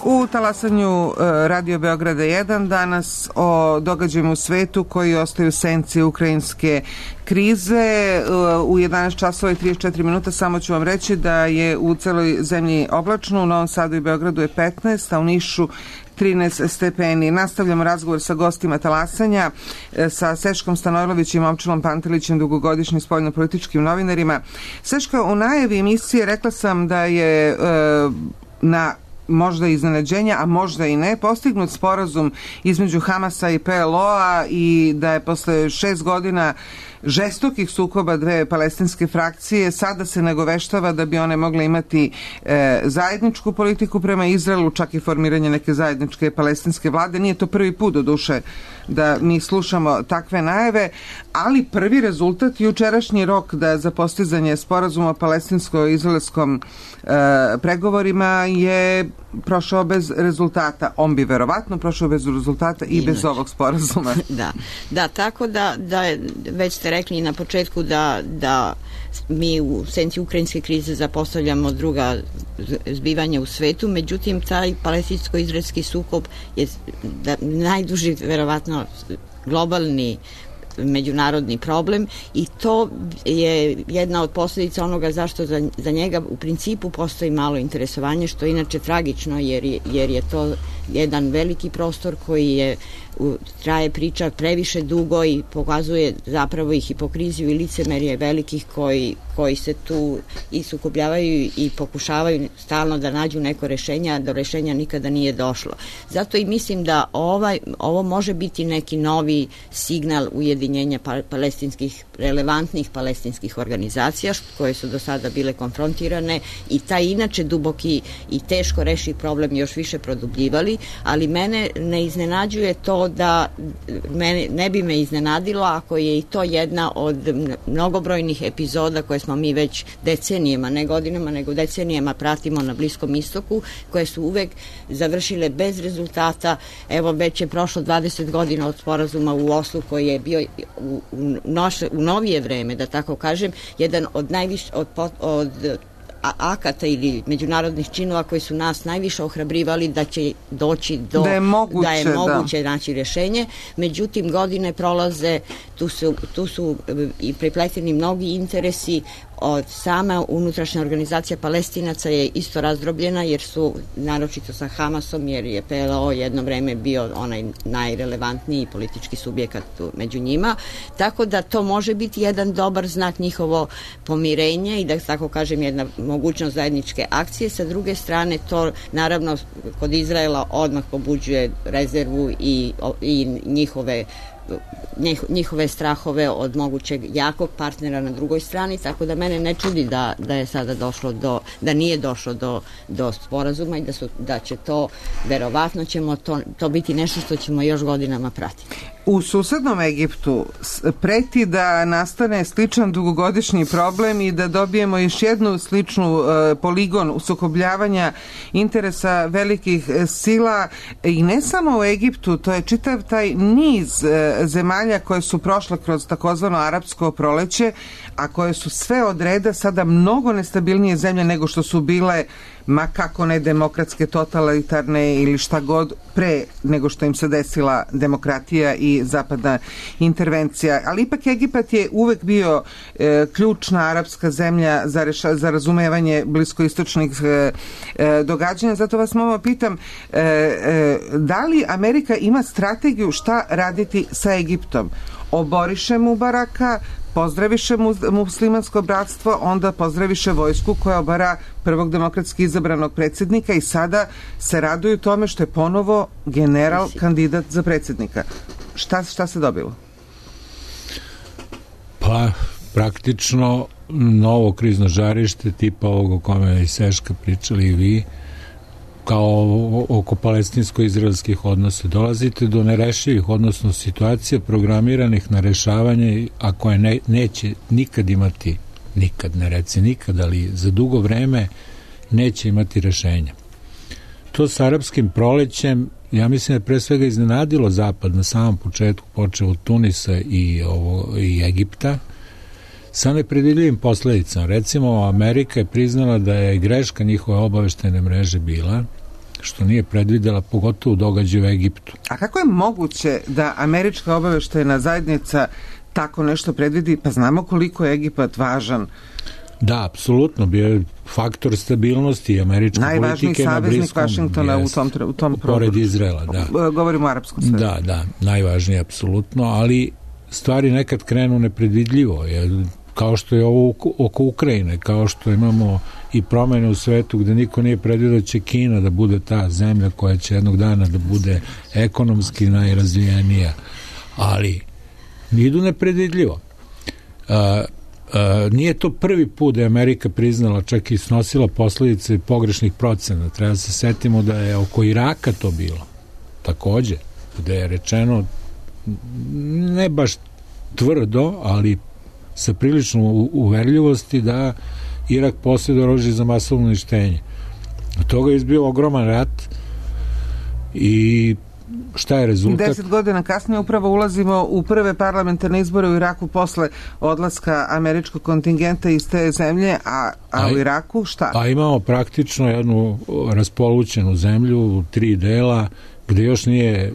[SPEAKER 4] U talasanju Radio Beograda jedan danas o događajima u svetu koji ostaju senci ukrajinske krize. U jedanaest časova i trideset četiri minuta samo ću vam reći da je u celoj zemlji oblačno, u Novom Sadu i Beogradu je petnaest, a u Nišu trinaest stepeni. Nastavljamo razgovor sa gostima talasanja, sa Seškom Stanojlovićem i Momčilom Pantelićem, dugogodišnjim spoljnopolitičkim novinarima. Seška, u najavi emisije rekla sam da je e, na možda iznenađenja, a možda i ne, postignut sporazum između Hamasa i pe el o-a i da je posle šest godina žestokih sukoba dve palestinske frakcije sada se nagoveštava da bi one mogle imati e, zajedničku politiku prema Izraelu, čak i formiranje neke zajedničke palestinske vlade. Nije to prvi put do duše da mi slušamo takve najave, ali prvi rezultat, jučerašnji rok da za postizanje sporazuma o palestinsko-izraelskom e, pregovorima je prošao bez rezultata. On bi verovatno prošao bez rezultata i bez ovog sporazuma.
[SPEAKER 6] Da, da, tako da, da već ste rekli na početku da, da mi u senci ukrajinske krize zapostavljamo druga zbivanja u svetu, međutim taj palestinsko-izraelski sukob je da, najduži verovatno globalni međunarodni problem i to je jedna od posljedica onoga zašto za, za njega u principu postoji malo interesovanje, što je inače tragično jer je, jer je to jedan veliki prostor koji je traje priča previše dugo i pokazuje zapravo i hipokriziju i licemerje velikih koji, koji se tu i sukobljavaju i pokušavaju stalno da nađu neko rešenje, a do rešenja nikada nije došlo. Zato i mislim da ovaj, ovo može biti neki novi signal ujedinjenja palestinskih, relevantnih palestinskih organizacija koje su do sada bile konfrontirane i taj inače duboki i teško rešiv problem još više produbljivali, ali mene ne iznenađuje to da mene, ne bi me iznenadilo ako je i to jedna od mnogobrojnih epizoda koje smo mi već decenijama, ne godinama, nego decenijama pratimo na Bliskom istoku, koje su uvek završile bez rezultata. Evo, već je prošlo dvadeset godina od sporazuma u Oslu koji je bio u, u, noše, u novije vreme, da tako kažem, jedan od najviše od, od akata ili međunarodnih činova koji su nas najviše ohrabrivali da će doći do
[SPEAKER 4] da je moguće,
[SPEAKER 6] da je moguće da. naći rješenje. Međutim, godine prolaze, tu su, tu su i prepleteni mnogi interesi. Od sama unutrašnja organizacija Palestinaca je isto razdrobljena jer su naročito sa Hamasom, jer je P L O jedno vreme bio onaj najrelevantniji politički subjekat među njima, tako da to može biti jedan dobar znak njihovo pomirenje i da tako kažem jedna mogućnost zajedničke akcije. Sa druge strane to naravno kod Izraela odmah pobuđuje rezervu i, i njihove njihove strahove od mogućeg jakog partnera na drugoj strani, tako da mene ne čudi da, da je sada došlo do, da nije došlo do, do sporazuma i da, su, da će to, verovatno ćemo to, to biti nešto što ćemo još godinama pratiti.
[SPEAKER 4] U susednom Egiptu preti da nastane sličan dugogodišnji problem i da dobijemo još jednu sličnu e, poligon usukobljavanja interesa velikih sila i ne samo u Egiptu, to je čitav taj niz e, zemalja koje su prošle kroz takozvano arapsko proleće, a koje su sve od reda sada mnogo nestabilnije zemlje nego što su bile, ma kako ne demokratske, totalitarne ili šta god, pre nego što im se desila demokratija i zapadna intervencija. Ali ipak Egipat je uvek bio e, ključna arapska zemlja za, reša, za razumevanje bliskoistočnih e, e, događanja. Zato vas malo pitam, e, e, da li Amerika ima strategiju šta raditi sa Egiptom? Oboriše Mubaraka, pozdraviše muslimansko bratstvo, onda pozdraviše vojsku koja obara prvog demokratski izabranog predsjednika i sada se raduju tome što je ponovo general kandidat za predsjednika. Šta, šta se dobilo?
[SPEAKER 5] Pa, praktično novo krizno žarište tipa ovog o kome i Seška pričali i vi, kao oko palestinsko-izraelskih odnosa. Dolazite do nerešivih, odnosno situacija programiranih na rešavanje, a koje ne, neće nikad imati, nikad, ne reci nikad, ali za dugo vreme neće imati rešenja. To s arapskim prolećem, ja mislim da je pre svega iznenadilo Zapad na samom početku, počeo od Tunisa i, ovo, i Egipta, sa nepredvidljivim posledicama. Recimo, Amerika je priznala da je greška njihove obaveštajne mreže bila što nije predvidela pogotovo događaj u Egiptu.
[SPEAKER 4] A kako je moguće da američka obaveštajna zajednica tako nešto predvidi? Pa znamo koliko je Egipat važan.
[SPEAKER 5] Da, apsolutno, bio je faktor stabilnosti američke politike na Bliskom. Najvažniji saveznik
[SPEAKER 4] Vašingtona u tom, u tom
[SPEAKER 5] pored Izraela, da.
[SPEAKER 4] Govorimo o arapskom svetu.
[SPEAKER 5] Da, da, najvažnije apsolutno, ali stvari nekad krenu nepredvidljivo, jer kao što je ovo oko Ukrajine, kao što imamo i promene u svetu gde niko nije predvidio da će Kina da bude ta zemlja koja će jednog dana da bude ekonomski najrazvijenija, ali idu nepredvidljivo. a, a, nije to prvi put da je Amerika priznala, čak i snosila posledice pogrešnih procena. Treba da se setimo da je oko Iraka to bilo takođe, gde je rečeno ne baš tvrdo, ali sa prilično uverljivosti da Irak posjeduje oružje za masovno uništenje. Od toga je izbio ogroman rat i šta je rezultat?
[SPEAKER 4] Deset godina kasnije upravo ulazimo u prve parlamentarne izbore u Iraku posle odlaska američkog kontingenta iz te zemlje, a, a, a u Iraku šta?
[SPEAKER 5] A imamo praktično jednu raspolućenu zemlju, tri dela, gde još nije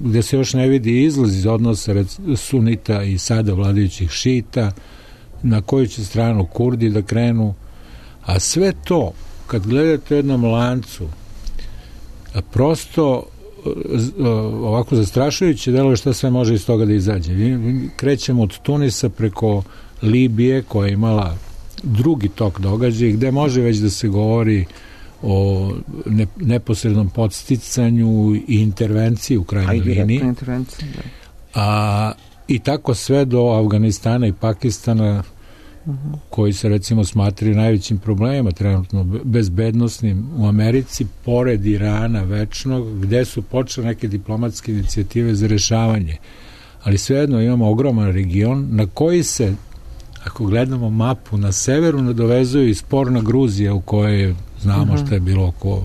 [SPEAKER 5] gde se još ne vidi izlaz iz odnosa sunita i sada vladajućih šita, na koju će stranu Kurdi da krenu, a sve to kad gledate u jednom lancu prosto ovako zastrašujuće deluje šta sve može iz toga da izađe. Krećemo od Tunisa preko Libije koja je imala drugi tok događaja gde može već da se govori o ne, neposrednom podsticanju i intervenciji u krajnjoj liniji. A i tako sve do Afganistana i Pakistana, uh-huh. koji se recimo smatraju najvećim problemima trenutno bezbednosnim u Americi, pored Irana večnog, gde su počele neke diplomatske inicijative za rešavanje. Ali svejedno imamo ogroman region na koji se, ako gledamo mapu, na severu nadovezuje i sporna Gruzija u kojoj znamo uh-huh. šta je bilo oko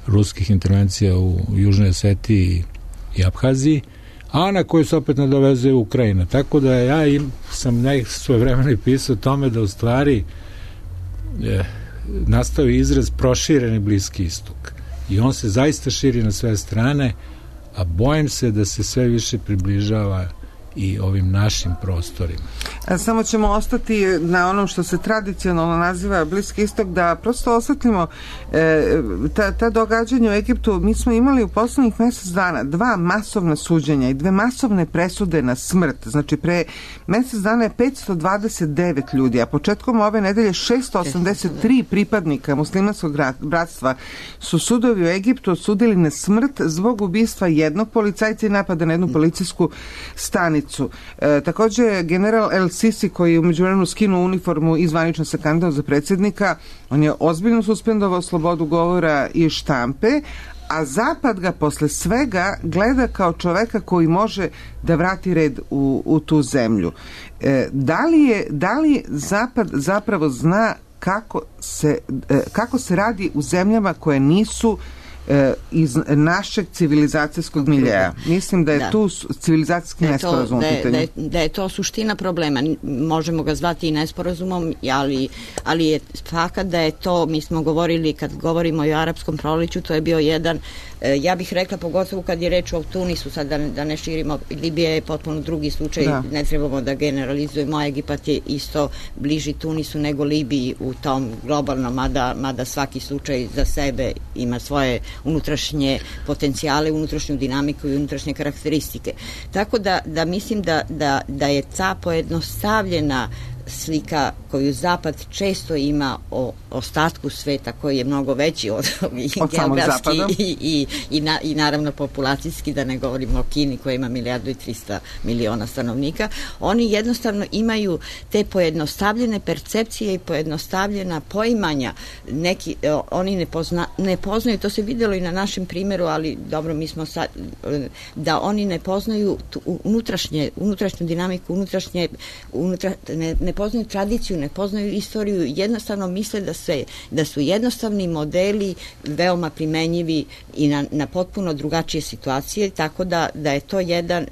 [SPEAKER 5] ruskih intervencija u Južnoj Osetiji i Abhaziji, a na koju se opet nadovezuje Ukrajina. Tako da ja im, sam nek svoje vremena pisao o tome da u stvari e, nastao izraz prošireni Bliski istok. I on se zaista širi na sve strane, a bojim se da se sve više približava i ovim našim prostorima.
[SPEAKER 4] A samo ćemo ostati na onom što se tradicionalno naziva Bliski istok, da prosto osvetlimo e, ta, ta događanja u Egiptu. Mi smo imali u poslednjih mesec dana dva masovna suđenja i dve masovne presude na smrt. Znači pre mesec dana je petsto dvadeset devet ljudi, a početkom ove nedelje šesto osamdeset tri pripadnika muslimanskog bratstva su sudovi u Egiptu osudili na smrt zbog ubistva jednog policajca i napada na jednu policijsku stanicu. E, takođe, general El Sisi, koji je u međuvremenu skinuo uniformu i zvanično se kandidovao za predsjednika, on je ozbiljno suspendovao slobodu govora i štampe, a Zapad ga posle svega gleda kao čoveka koji može da vrati red u, u tu zemlju. E, da li je, da li Zapad zapravo zna kako se, e, kako se radi u zemljama koje nisu iz našeg civilizacijskog miljeja. Mislim da je da. tu civilizacijski nesporazum.
[SPEAKER 6] Da, da, je, da je to suština problema. Možemo ga zvati i nesporazumom, ali, ali je fakat da je to, mi smo govorili, kad govorimo o arapskom proleću, to je bio jedan, ja bih rekla, pogotovo kad je reč o Tunisu, sad da, da ne širimo, Libija je potpuno drugi slučaj, da. ne trebamo da generalizujemo, Egipat je isto bliži Tunisu nego Libiji u tom globalnom, mada, mada svaki slučaj za sebe ima svoje unutrašnje potencijale, unutrašnju dinamiku i unutrašnje karakteristike. Tako da, da mislim da, da, da je ta pojednostavljena slika koju Zapad često ima o ostatku sveta koji je mnogo veći od, od geografski i, i, i, na, i naravno populacijski, da ne govorimo o Kini koja ima milijardu i trista miliona stanovnika, oni jednostavno imaju te pojednostavljene percepcije i pojednostavljena poimanja. Neki, oni ne, pozna, ne poznaju, to se videlo i na našem primjeru, ali dobro, mi smo sad, da oni ne poznaju unutrašnje, unutrašnju dinamiku, unutrašnje, unutra, ne, ne poznaju tradiciju, ne poznaju istoriju, jednostavno misle da, se, da su jednostavni modeli veoma primenjivi i na, na potpuno drugačije situacije, tako da, da je to jedan,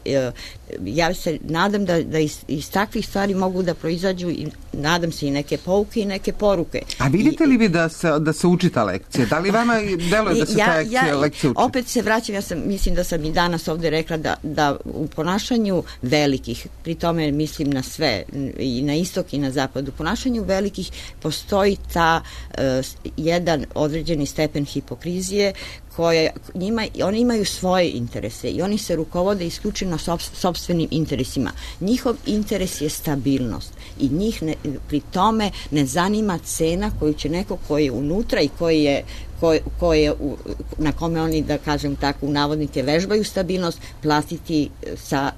[SPEAKER 6] ja se nadam da, da iz, iz takvih stvari mogu da proizađu i nadam se i neke pouke i neke poruke.
[SPEAKER 4] A vidite li vi da se, da se uči ta lekcija? Da li vama deluje da se ja, ta lekcija, ja, lekcija uči?
[SPEAKER 6] Opet se vraćam, ja sam, mislim da sam i danas ovde rekla da, da u ponašanju velikih, pri tome mislim na sve, i na istok i na zapad, u ponašanju velikih postoji ta uh, jedan određeni stepen hipokrizije koje njima, oni imaju svoje interese i oni se rukovode isključivo sopstvenim interesima. Njihov interes je stabilnost i njih ne, pri tome ne zanima cena koju će neko koji je unutra i koji je Koje, koje, na kome oni, da kažem tako, u navodnike vežbaju stabilnost, platiti sa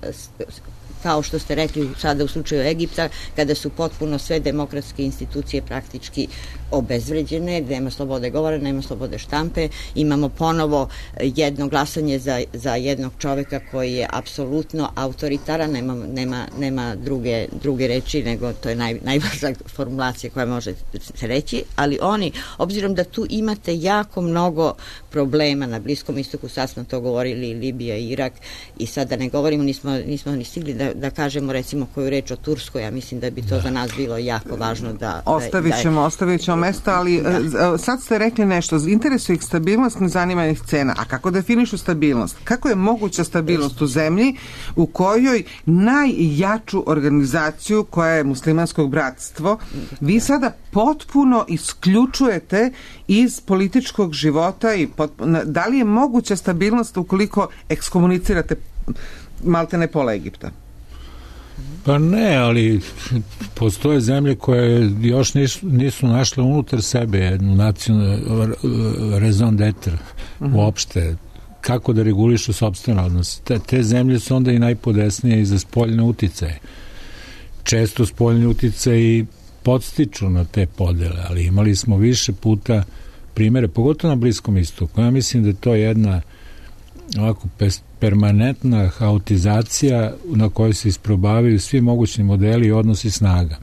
[SPEAKER 6] kao što ste rekli sada u slučaju Egipta, kada su potpuno sve demokratske institucije praktički obezvređene, nema slobode govora, nema slobode štampe, imamo ponovo jedno glasanje za, za jednog čoveka koji je apsolutno autoritaran, nema, nema, nema druge, druge reči, nego to je naj, najvažnija formulacija koja može se reći, ali oni, obzirom da tu imate jako mnogo problema na Bliskom istoku, sad smo to govorili, Libija i Irak, i sad da ne govorimo, nismo, nismo ni stigli da, da kažemo recimo koju reč o Turskoj, ja mislim da bi to da. za nas bilo jako važno da...
[SPEAKER 4] Ostavit ćemo, da, ostavit ćemo mesta, ali da. sad ste rekli nešto, interesuje ih stabilnost, ne zanima ih cena. A kako definišu stabilnost? Kako je moguća stabilnost u zemlji u kojoj najjaču organizaciju koja je muslimanskog bratstvo vi sada potpuno isključujete iz političkog života i potpuno, da li je moguća stabilnost ukoliko ekskomunicirate maltene pola Egipta?
[SPEAKER 5] Pa ne, ali postoje zemlje koje još nisu, nisu našle unutar sebe jednu nacionalnu raison d'etre uh-huh. uopšte, kako da regulišu sopstvene odnose. Te, te zemlje su onda i najpodesnije i za spoljne uticaje. Često spoljni uticaji podstiču na te podele, ali imali smo više puta primere, pogotovo na Bliskom istoku. Ja mislim da je to jedna ovako permanentna haotizacija na kojoj se isprobavaju svi mogućni modeli i odnosi snaga.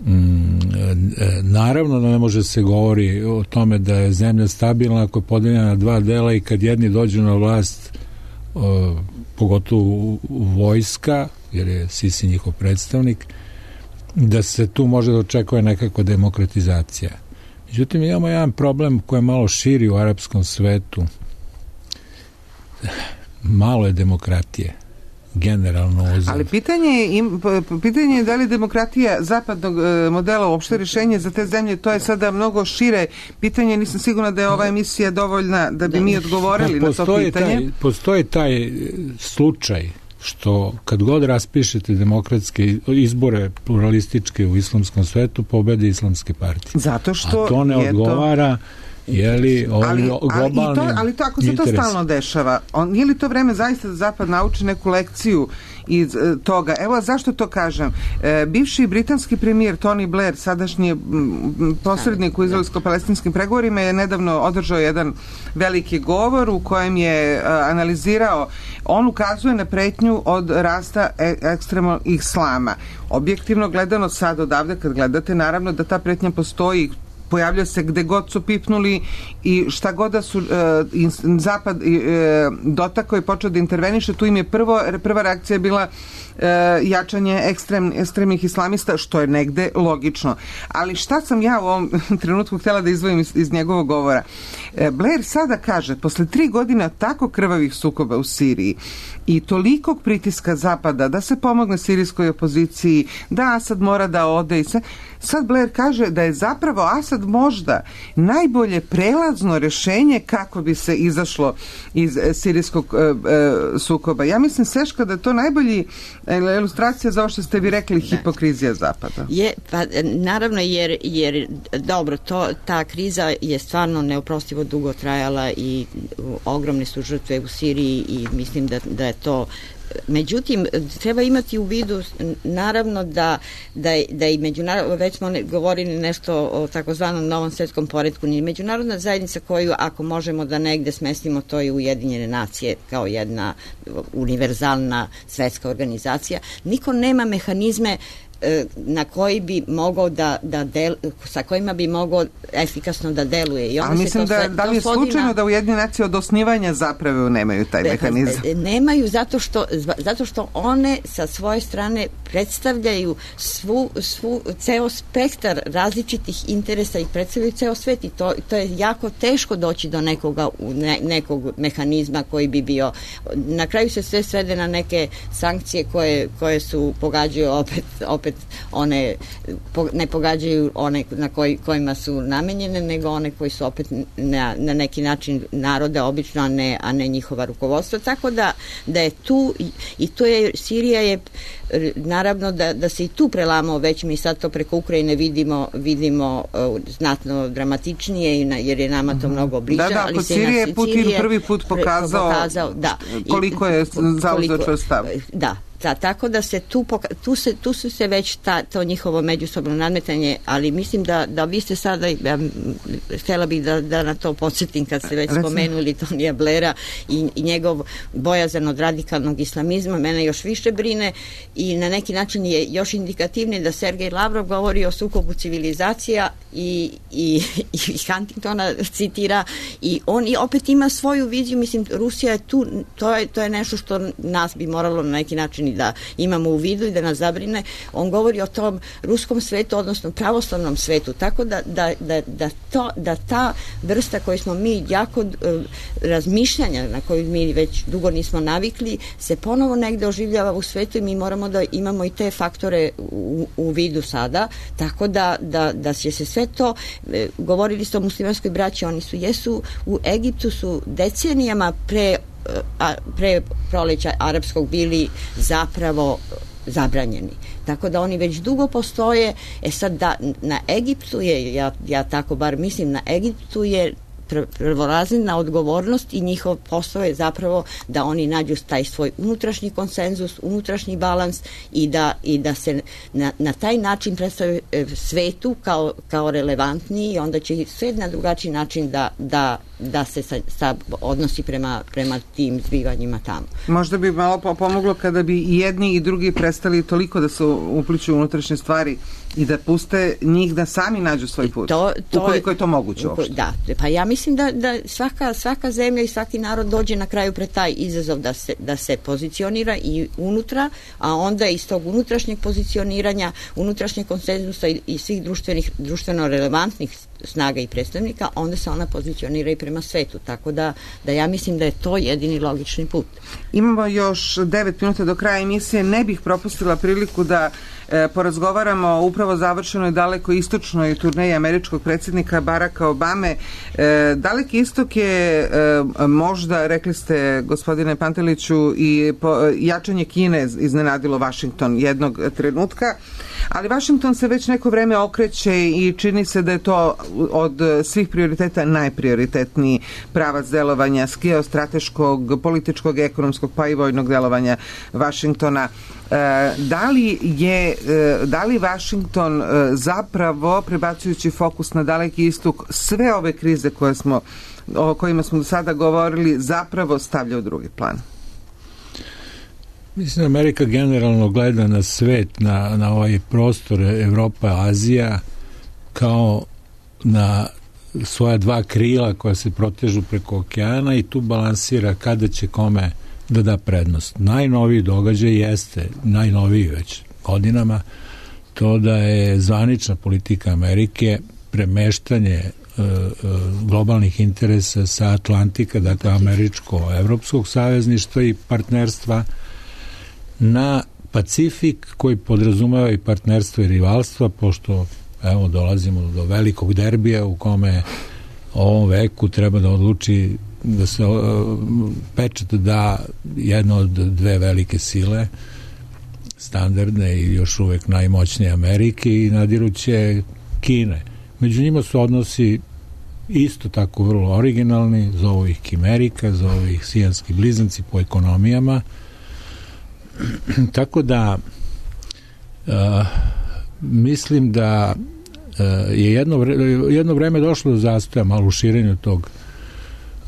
[SPEAKER 5] Mm, naravno da ne može se govori o tome da je zemlja stabilna ako je podeljena na dva dela i kad jedni dođu na vlast, o, pogotovo vojska, jer je Sisi njihov predstavnik, da se tu može da očekuje nekakva demokratizacija. Međutim, imamo jedan problem koji je malo širi u arapskom svetu. Malo je demokratije generalno uzem.
[SPEAKER 4] Ali pitanje je, im, pitanje je da li demokratija zapadnog modela uopšte rješenje za te zemlje, to je sada mnogo šire pitanje, nisam sigurna da je ova emisija dovoljna da bi mi odgovorili na to pitanje.
[SPEAKER 5] Taj, postoji taj slučaj što kad god raspišete demokratske izbore pluralističke u islamskom svetu, pobede islamske partije.
[SPEAKER 4] Zato što
[SPEAKER 5] a to ne odgovara to... je li
[SPEAKER 4] ali, ali, to, ali to ako se interes. To stalno dešava, on, nije li to vreme zaista da Zapad nauči neku lekciju iz e, toga? Evo zašto to kažem. E, bivši britanski premijer Tony Blair, sadašnji m, posrednik u izraelsko-palestinskim pregovorima, je nedavno održao jedan veliki govor u kojem je e, analizirao, on ukazuje na pretnju od rasta e, ekstremnog islama. Objektivno gledano sad odavde kad gledate, naravno da ta pretnja postoji, pojavlja se gde god su pipnuli i šta god da su e, Zapad e, dotakao i počeo da interveniše, tu im je prvo, prva reakcija bila e, jačanje ekstrem, ekstremnih islamista, što je negde logično. Ali šta sam ja u ovom trenutku htjela da izdvojim iz, iz njegovog govora? E, Blair sada kaže, posle tri godina tako krvavih sukoba u Siriji i tolikog pritiska Zapada da se pomogne sirijskoj opoziciji, da Asad mora da ode i sve, sad Blair kaže da je zapravo Asad možda najbolje prelazno rješenje kako bi se izašlo iz e, sirijskog e, e, sukoba. Ja mislim, Seška, da je to najbolji e, ilustracija za ovo što ste vi rekli, hipokrizija Zapada.
[SPEAKER 6] Je, pa naravno, jer, jer dobro, to, ta kriza je stvarno neoprostivo dugo trajala i ogromne su žrtve u Siriji i mislim da, da je to. Međutim, treba imati u vidu naravno da, da, da i međunarodno, već smo ne, govorili nešto o takozvanom novom svetskom poretku, ni međunarodna zajednica koju ako možemo da negde smestimo, to je Ujedinjene nacije kao jedna univerzalna svetska organizacija. Niko nema mehanizme na koji bi mogao da, da del, sa kojima bi mogao efikasno da deluje. I
[SPEAKER 4] a mislim da, sve, da li je slučajno na... da Ujedinjene nacije od osnivanja zapravo nemaju taj Be, mehanizam?
[SPEAKER 6] Nemaju zato što, zato što one sa svoje strane predstavljaju svu, svu, ceo spektar različitih interesa i predstavljaju ceo svet i to, to je jako teško doći do nekoga, ne, nekog mehanizma koji bi bio. Na kraju se sve svede na neke sankcije koje, koje su pogađaju opet, opet one ne pogađaju one na koji, kojima su namenjene, nego one koji su opet na, na neki način narode obično, a ne, a ne njihova rukovodstva. Tako da, da je tu i, i to je, Sirija je naravno da, da se i tu prelamao, već mi sad to preko Ukrajine vidimo, vidimo uh, znatno dramatičnije jer je nama to mnogo bliže.
[SPEAKER 4] Da, da, ali kod Sirije Putin prvi put pokazao,
[SPEAKER 6] pokazao da,
[SPEAKER 4] koliko je zauzeo čvrst stav.
[SPEAKER 6] Da, Ta, tako da se tu, poka- tu, se, tu su se već ta, to njihovo međusobno nadmetanje, ali mislim da, da vi ste sada, ja, htjela bih da, da na to podsjetim kad ste već spomenuli Tonija Blaira i, i njegov bojazan od radikalnog islamizma, mene još više brine i na neki način je još indikativnije da Sergej Lavrov govori o sukobu civilizacija i, i, i Huntingtona citira i on i opet ima svoju viziju, mislim Rusija je tu, to je, to je nešto što nas bi moralo na neki način i da imamo u vidu i da nas zabrine. On govori o tom ruskom svetu, odnosno pravoslavnom svetu, tako da, da, da, da, to, da ta vrsta koju smo mi jako uh, razmišljanja na koju mi već dugo nismo navikli se ponovo negde oživljava u svetu i mi moramo da imamo i te faktore u, u vidu sada, tako da, da, da će se sve to, e, govorili ste o muslimanskoj braći, oni su jesu u Egiptu su decenijama pre a, pre proleća arapskog bili zapravo zabranjeni. Tako da oni već dugo postoje. E sad da na Egiptu je, ja, ja tako bar mislim, na Egiptu je prvorazredna odgovornost i njihov posao je zapravo da oni nađu taj svoj unutrašnji konsenzus, unutrašnji balans i da, i da se na, na taj način predstave svetu kao, kao relevantniji i onda će svet na drugačiji način da, da, da se sa, sa odnosi prema, prema tim zbivanjima tamo.
[SPEAKER 4] Možda bi malo pomoglo kada bi i jedni i drugi prestali toliko da se upliču u unutrašnje stvari i da puste njih da sami nađu svoj put. To, to, ukoliko je to moguće uopšte.
[SPEAKER 6] Da, pa ja mislim da, da svaka, svaka zemlja i svaki narod dođe na kraju pred taj izazov da se, da se pozicionira i unutra, a onda iz tog unutrašnjeg pozicioniranja, unutrašnjeg konsenzusa i, i svih društvenih, društveno relevantnih snaga i predstavnika, onda se ona pozicionira i prema svetu. Tako da, da ja mislim da je to jedini logični put.
[SPEAKER 4] Imamo još devet minuta do kraja emisije. Ne bih propustila priliku da e, porazgovaramo o upravo završenoj daleko istočnoj turneji američkog predsjednika Baracka Obame. E, Daleki istok je e, možda, rekli ste gospodine Panteliću, i po, jačanje Kine iznenadilo Washington jednog trenutka, ali Washington se već neko vreme okreće i čini se da je to od svih prioriteta najprioritetniji pravac delovanja geostrateškog, političkog, ekonomskog pa i vojnog delovanja Washingtona. Da li je da li Washington zapravo, prebacujući fokus na Daleki istok, sve ove krize koje smo, o kojima smo do sada govorili, zapravo stavlja u drugi plan?
[SPEAKER 5] Mislim, Amerika generalno gleda na svet, na, na ovaj prostor Evropa, Azija, kao na svoja dva krila koja se protežu preko okeana i tu balansira kada će kome da da prednost. Najnoviji događaj jeste, najnoviji već godinama, to da je zvanična politika Amerike premeštanje e, e, globalnih interesa sa Atlantika, dakle američko-evropskog savezništva i partnerstva na Pacifik, koji podrazumeva i partnerstvo i rivalstva, pošto evo dolazimo do velikog derbija u kome ovom veku treba da odluči da se uh, pečat da jedna od dve velike sile, standardne i još uvek najmoćnije Amerike i nadiruće Kine. Među njima su odnosi isto tako vrlo originalni, zovu ih Kimerika, zovu ih sijanski blizanci po ekonomijama. Tako da uh, mislim da uh, je jedno, vre, jedno vreme došlo do zastoja malo u širenju tog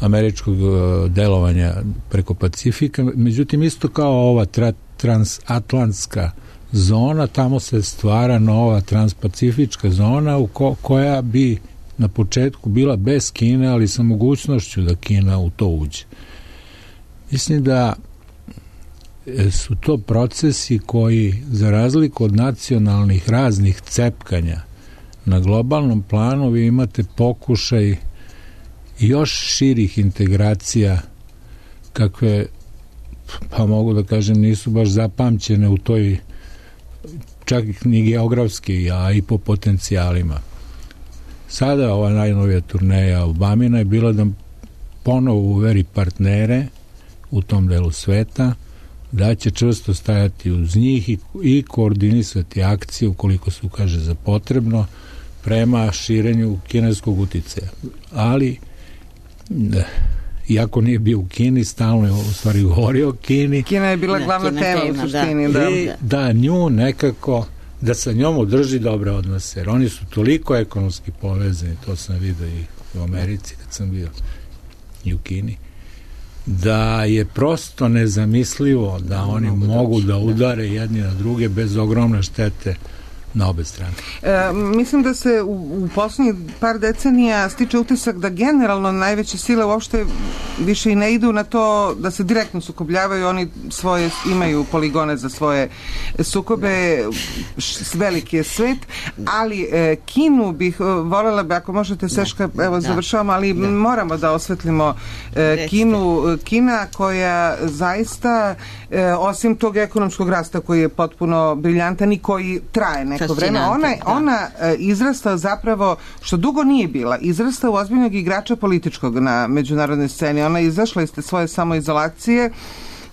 [SPEAKER 5] američkog uh, delovanja preko Pacifika, međutim isto kao ova tra, transatlantska zona, tamo se stvara nova transpacifička zona u ko, koja bi na početku bila bez Kine, ali sa mogućnošću da Kina u to uđe. Mislim da su to procesi koji, za razliku od nacionalnih raznih cepkanja, na globalnom planu vi imate pokušaj još širih integracija kakve, pa mogu da kažem, nisu baš zapamćene u toj, čak ni geografski, a i po potencijalima. Sada ova najnovija turneja Obamina je bila da ponovo uveri partnere u tom delu sveta, da će čvrsto stajati uz njih i, i koordinisati akcije ukoliko se ukaže za potrebno prema širenju kineskog uticaja. Ali iako nije bio u Kini, stalno je u stvari govorio o Kini.
[SPEAKER 4] Kina je bila glavna
[SPEAKER 6] Kina
[SPEAKER 4] tema,
[SPEAKER 6] tema,
[SPEAKER 4] u suštini.
[SPEAKER 5] Da.
[SPEAKER 4] Da.
[SPEAKER 5] I da nju nekako, da sa njom održi dobre odnose, jer oni su toliko ekonomski povezani, to sam vidio i u Americi kad sam bio i u Kini, da je prosto nezamislivo da, da oni mogu, mogu da udare da. jedni na druge bez ogromne štete na obe strane.
[SPEAKER 4] E, mislim da se u, u poslednjih par decenija stiče utisak da generalno najveće sile uopšte više i ne idu na to da se direktno sukobljavaju, oni svoje imaju poligone za svoje sukobe, š, veliki je svet, ali e, Kinu bih voljela bi, ako možete Seška, evo da. završavamo, ali da. moramo da osvetlimo e, Kinu, Kina koja zaista e, osim tog ekonomskog rasta koji je potpuno briljantan i koji traje neko vreme, ona, da. ona e, izrasta zapravo, što dugo nije bila, izrasta u ozbiljnog igrača političkog na međunarodnoj sceni. Ona je izašla iz te svoje samoizolacije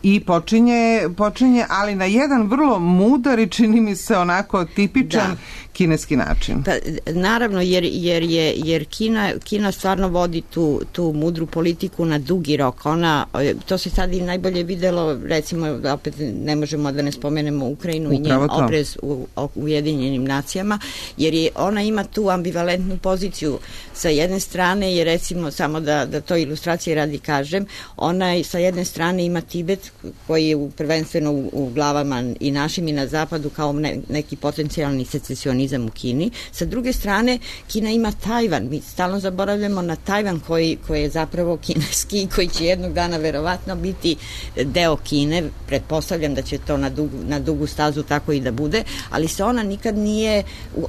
[SPEAKER 4] i počinje, počinje, ali na jedan vrlo mudar i čini mi se onako tipičan da. kineski način.
[SPEAKER 6] Pa, naravno, jer, jer, je, jer Kina, Kina stvarno vodi tu, tu mudru politiku na dugi rok. Ona, to se sad i najbolje videlo, recimo, opet ne možemo da ne spomenemo Ukrajinu Upravo i njen oprez u, u Ujedinjenim nacijama, jer je, ona ima tu ambivalentnu poziciju. Sa jedne strane je, recimo, samo da, da to ilustracije radi kažem, ona sa jedne strane ima Tibet, koji je prvenstveno u, u glavama i našim i na zapadu kao ne, neki potencijalni secesionizam u Kini. Sa druge strane, Kina ima Tajvan. Mi stalno zaboravljamo na Tajvan koji, koji je zapravo kineski, koji će jednog dana verovatno biti deo Kine. Pretpostavljam da će to na dugu, na dugu stazu tako i da bude, ali se ona nikad nije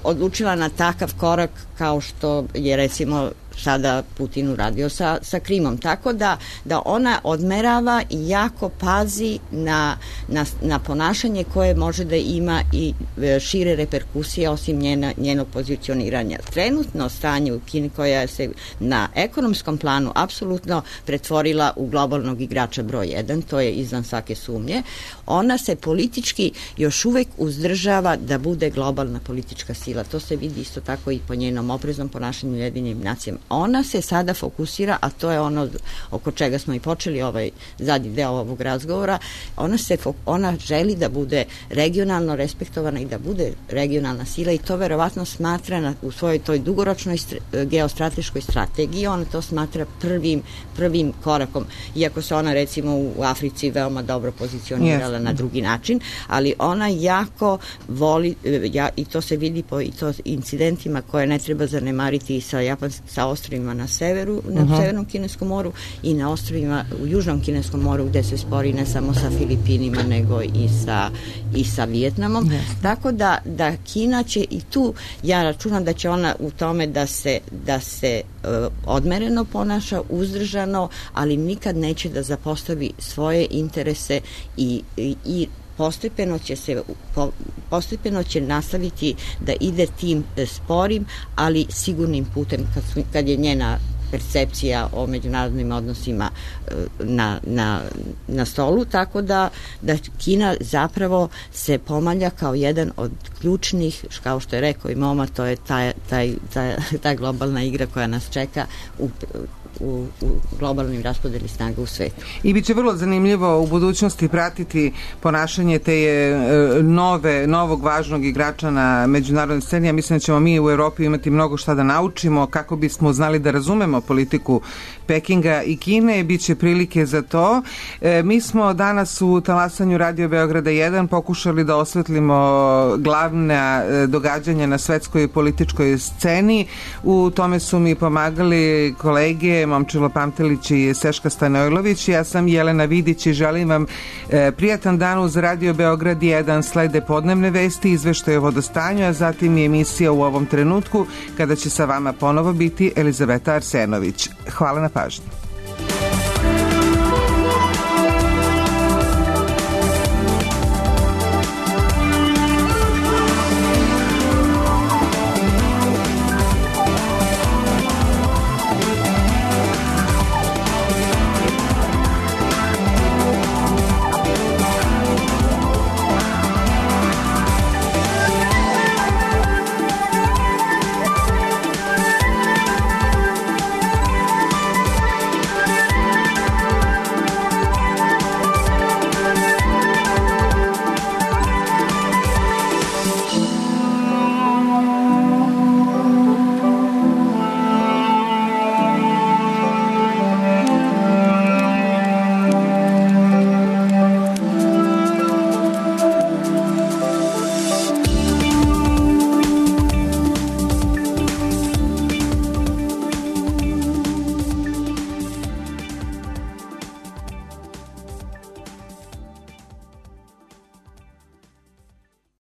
[SPEAKER 6] odlučila na takav korak kao što je recimo sada Putin uradio sa, sa Krimom. Tako da, da ona odmerava i jako pazi na, na, na ponašanje koje može da ima i šire reperkusije osim njena, njenog pozicioniranja. Trenutno stanje u Kini koja se na ekonomskom planu apsolutno pretvorila u globalnog igrača broj jedan, to je izvan svake sumnje. Ona se politički još uvek uzdržava da bude globalna politička sila. To se vidi isto tako i po njenom opreznom ponašanju u Ujedinjenim nacijama. Ona se sada fokusira, a to je ono oko čega smo i počeli ovaj zadnji deo ovog razgovora, ona, se, ona želi da bude regionalno respektovana i da bude regionalna sila i to verovatno smatra na, u svojoj toj dugoročnoj st- geostrateškoj strategiji, ona to smatra prvim, prvim korakom, iako se ona recimo u Africi veoma dobro pozicionirala yes. na drugi način, ali ona jako voli, ja, i to se vidi po i to incidentima koje ne treba zanemariti sa, Japans, sa ostrovima na severu, na uh-huh. severnom Kineskom moru i na ostrovima u južnom Kineskom moru gde se spori ne samo sa Filipinima nego i sa, i sa Vijetnamom. Yes. Tako da, da Kina će i tu, ja računam da će ona u tome da se, da se uh, odmereno ponaša, uzdržano, ali nikad neće da zapostavi svoje interese i, i, i postepeno će se po, postepeno će nastaviti da ide tim sporim, ali sigurnim putem kad, su, kad je njena percepcija o međunarodnim odnosima na, na, na stolu, tako da, da Kina zapravo se pomalja kao jedan od ključnih, kao što je rekao i Moma, to je taj, taj, taj, ta globalna igra koja nas čeka u U, u globalnim raspodeli snaga u svetu.
[SPEAKER 4] I bit će vrlo zanimljivo u budućnosti pratiti ponašanje te nove, novog važnog igrača na međunarodnoj sceni. Ja mislim da ćemo mi u Evropi imati mnogo šta da naučimo kako bismo znali da razumemo politiku Pekinga i Kine. Biće prilike za to. E, mi smo danas u talasanju Radio Beograda jedan pokušali da osvetlimo glavna događanja na svetskoj političkoj sceni. U tome su mi pomagali kolege Momčilo Pamtelić i Seška Stanojlović. Ja sam Jelena Vidić i želim vam e, prijatan dan uz Radio Beograd jedan. Slede podnevne vesti, izveštaje o vodostanju, a zatim i emisija U ovom trenutku kada će sa vama ponovo biti Elizaveta Arsenović. Hvala na pažnji.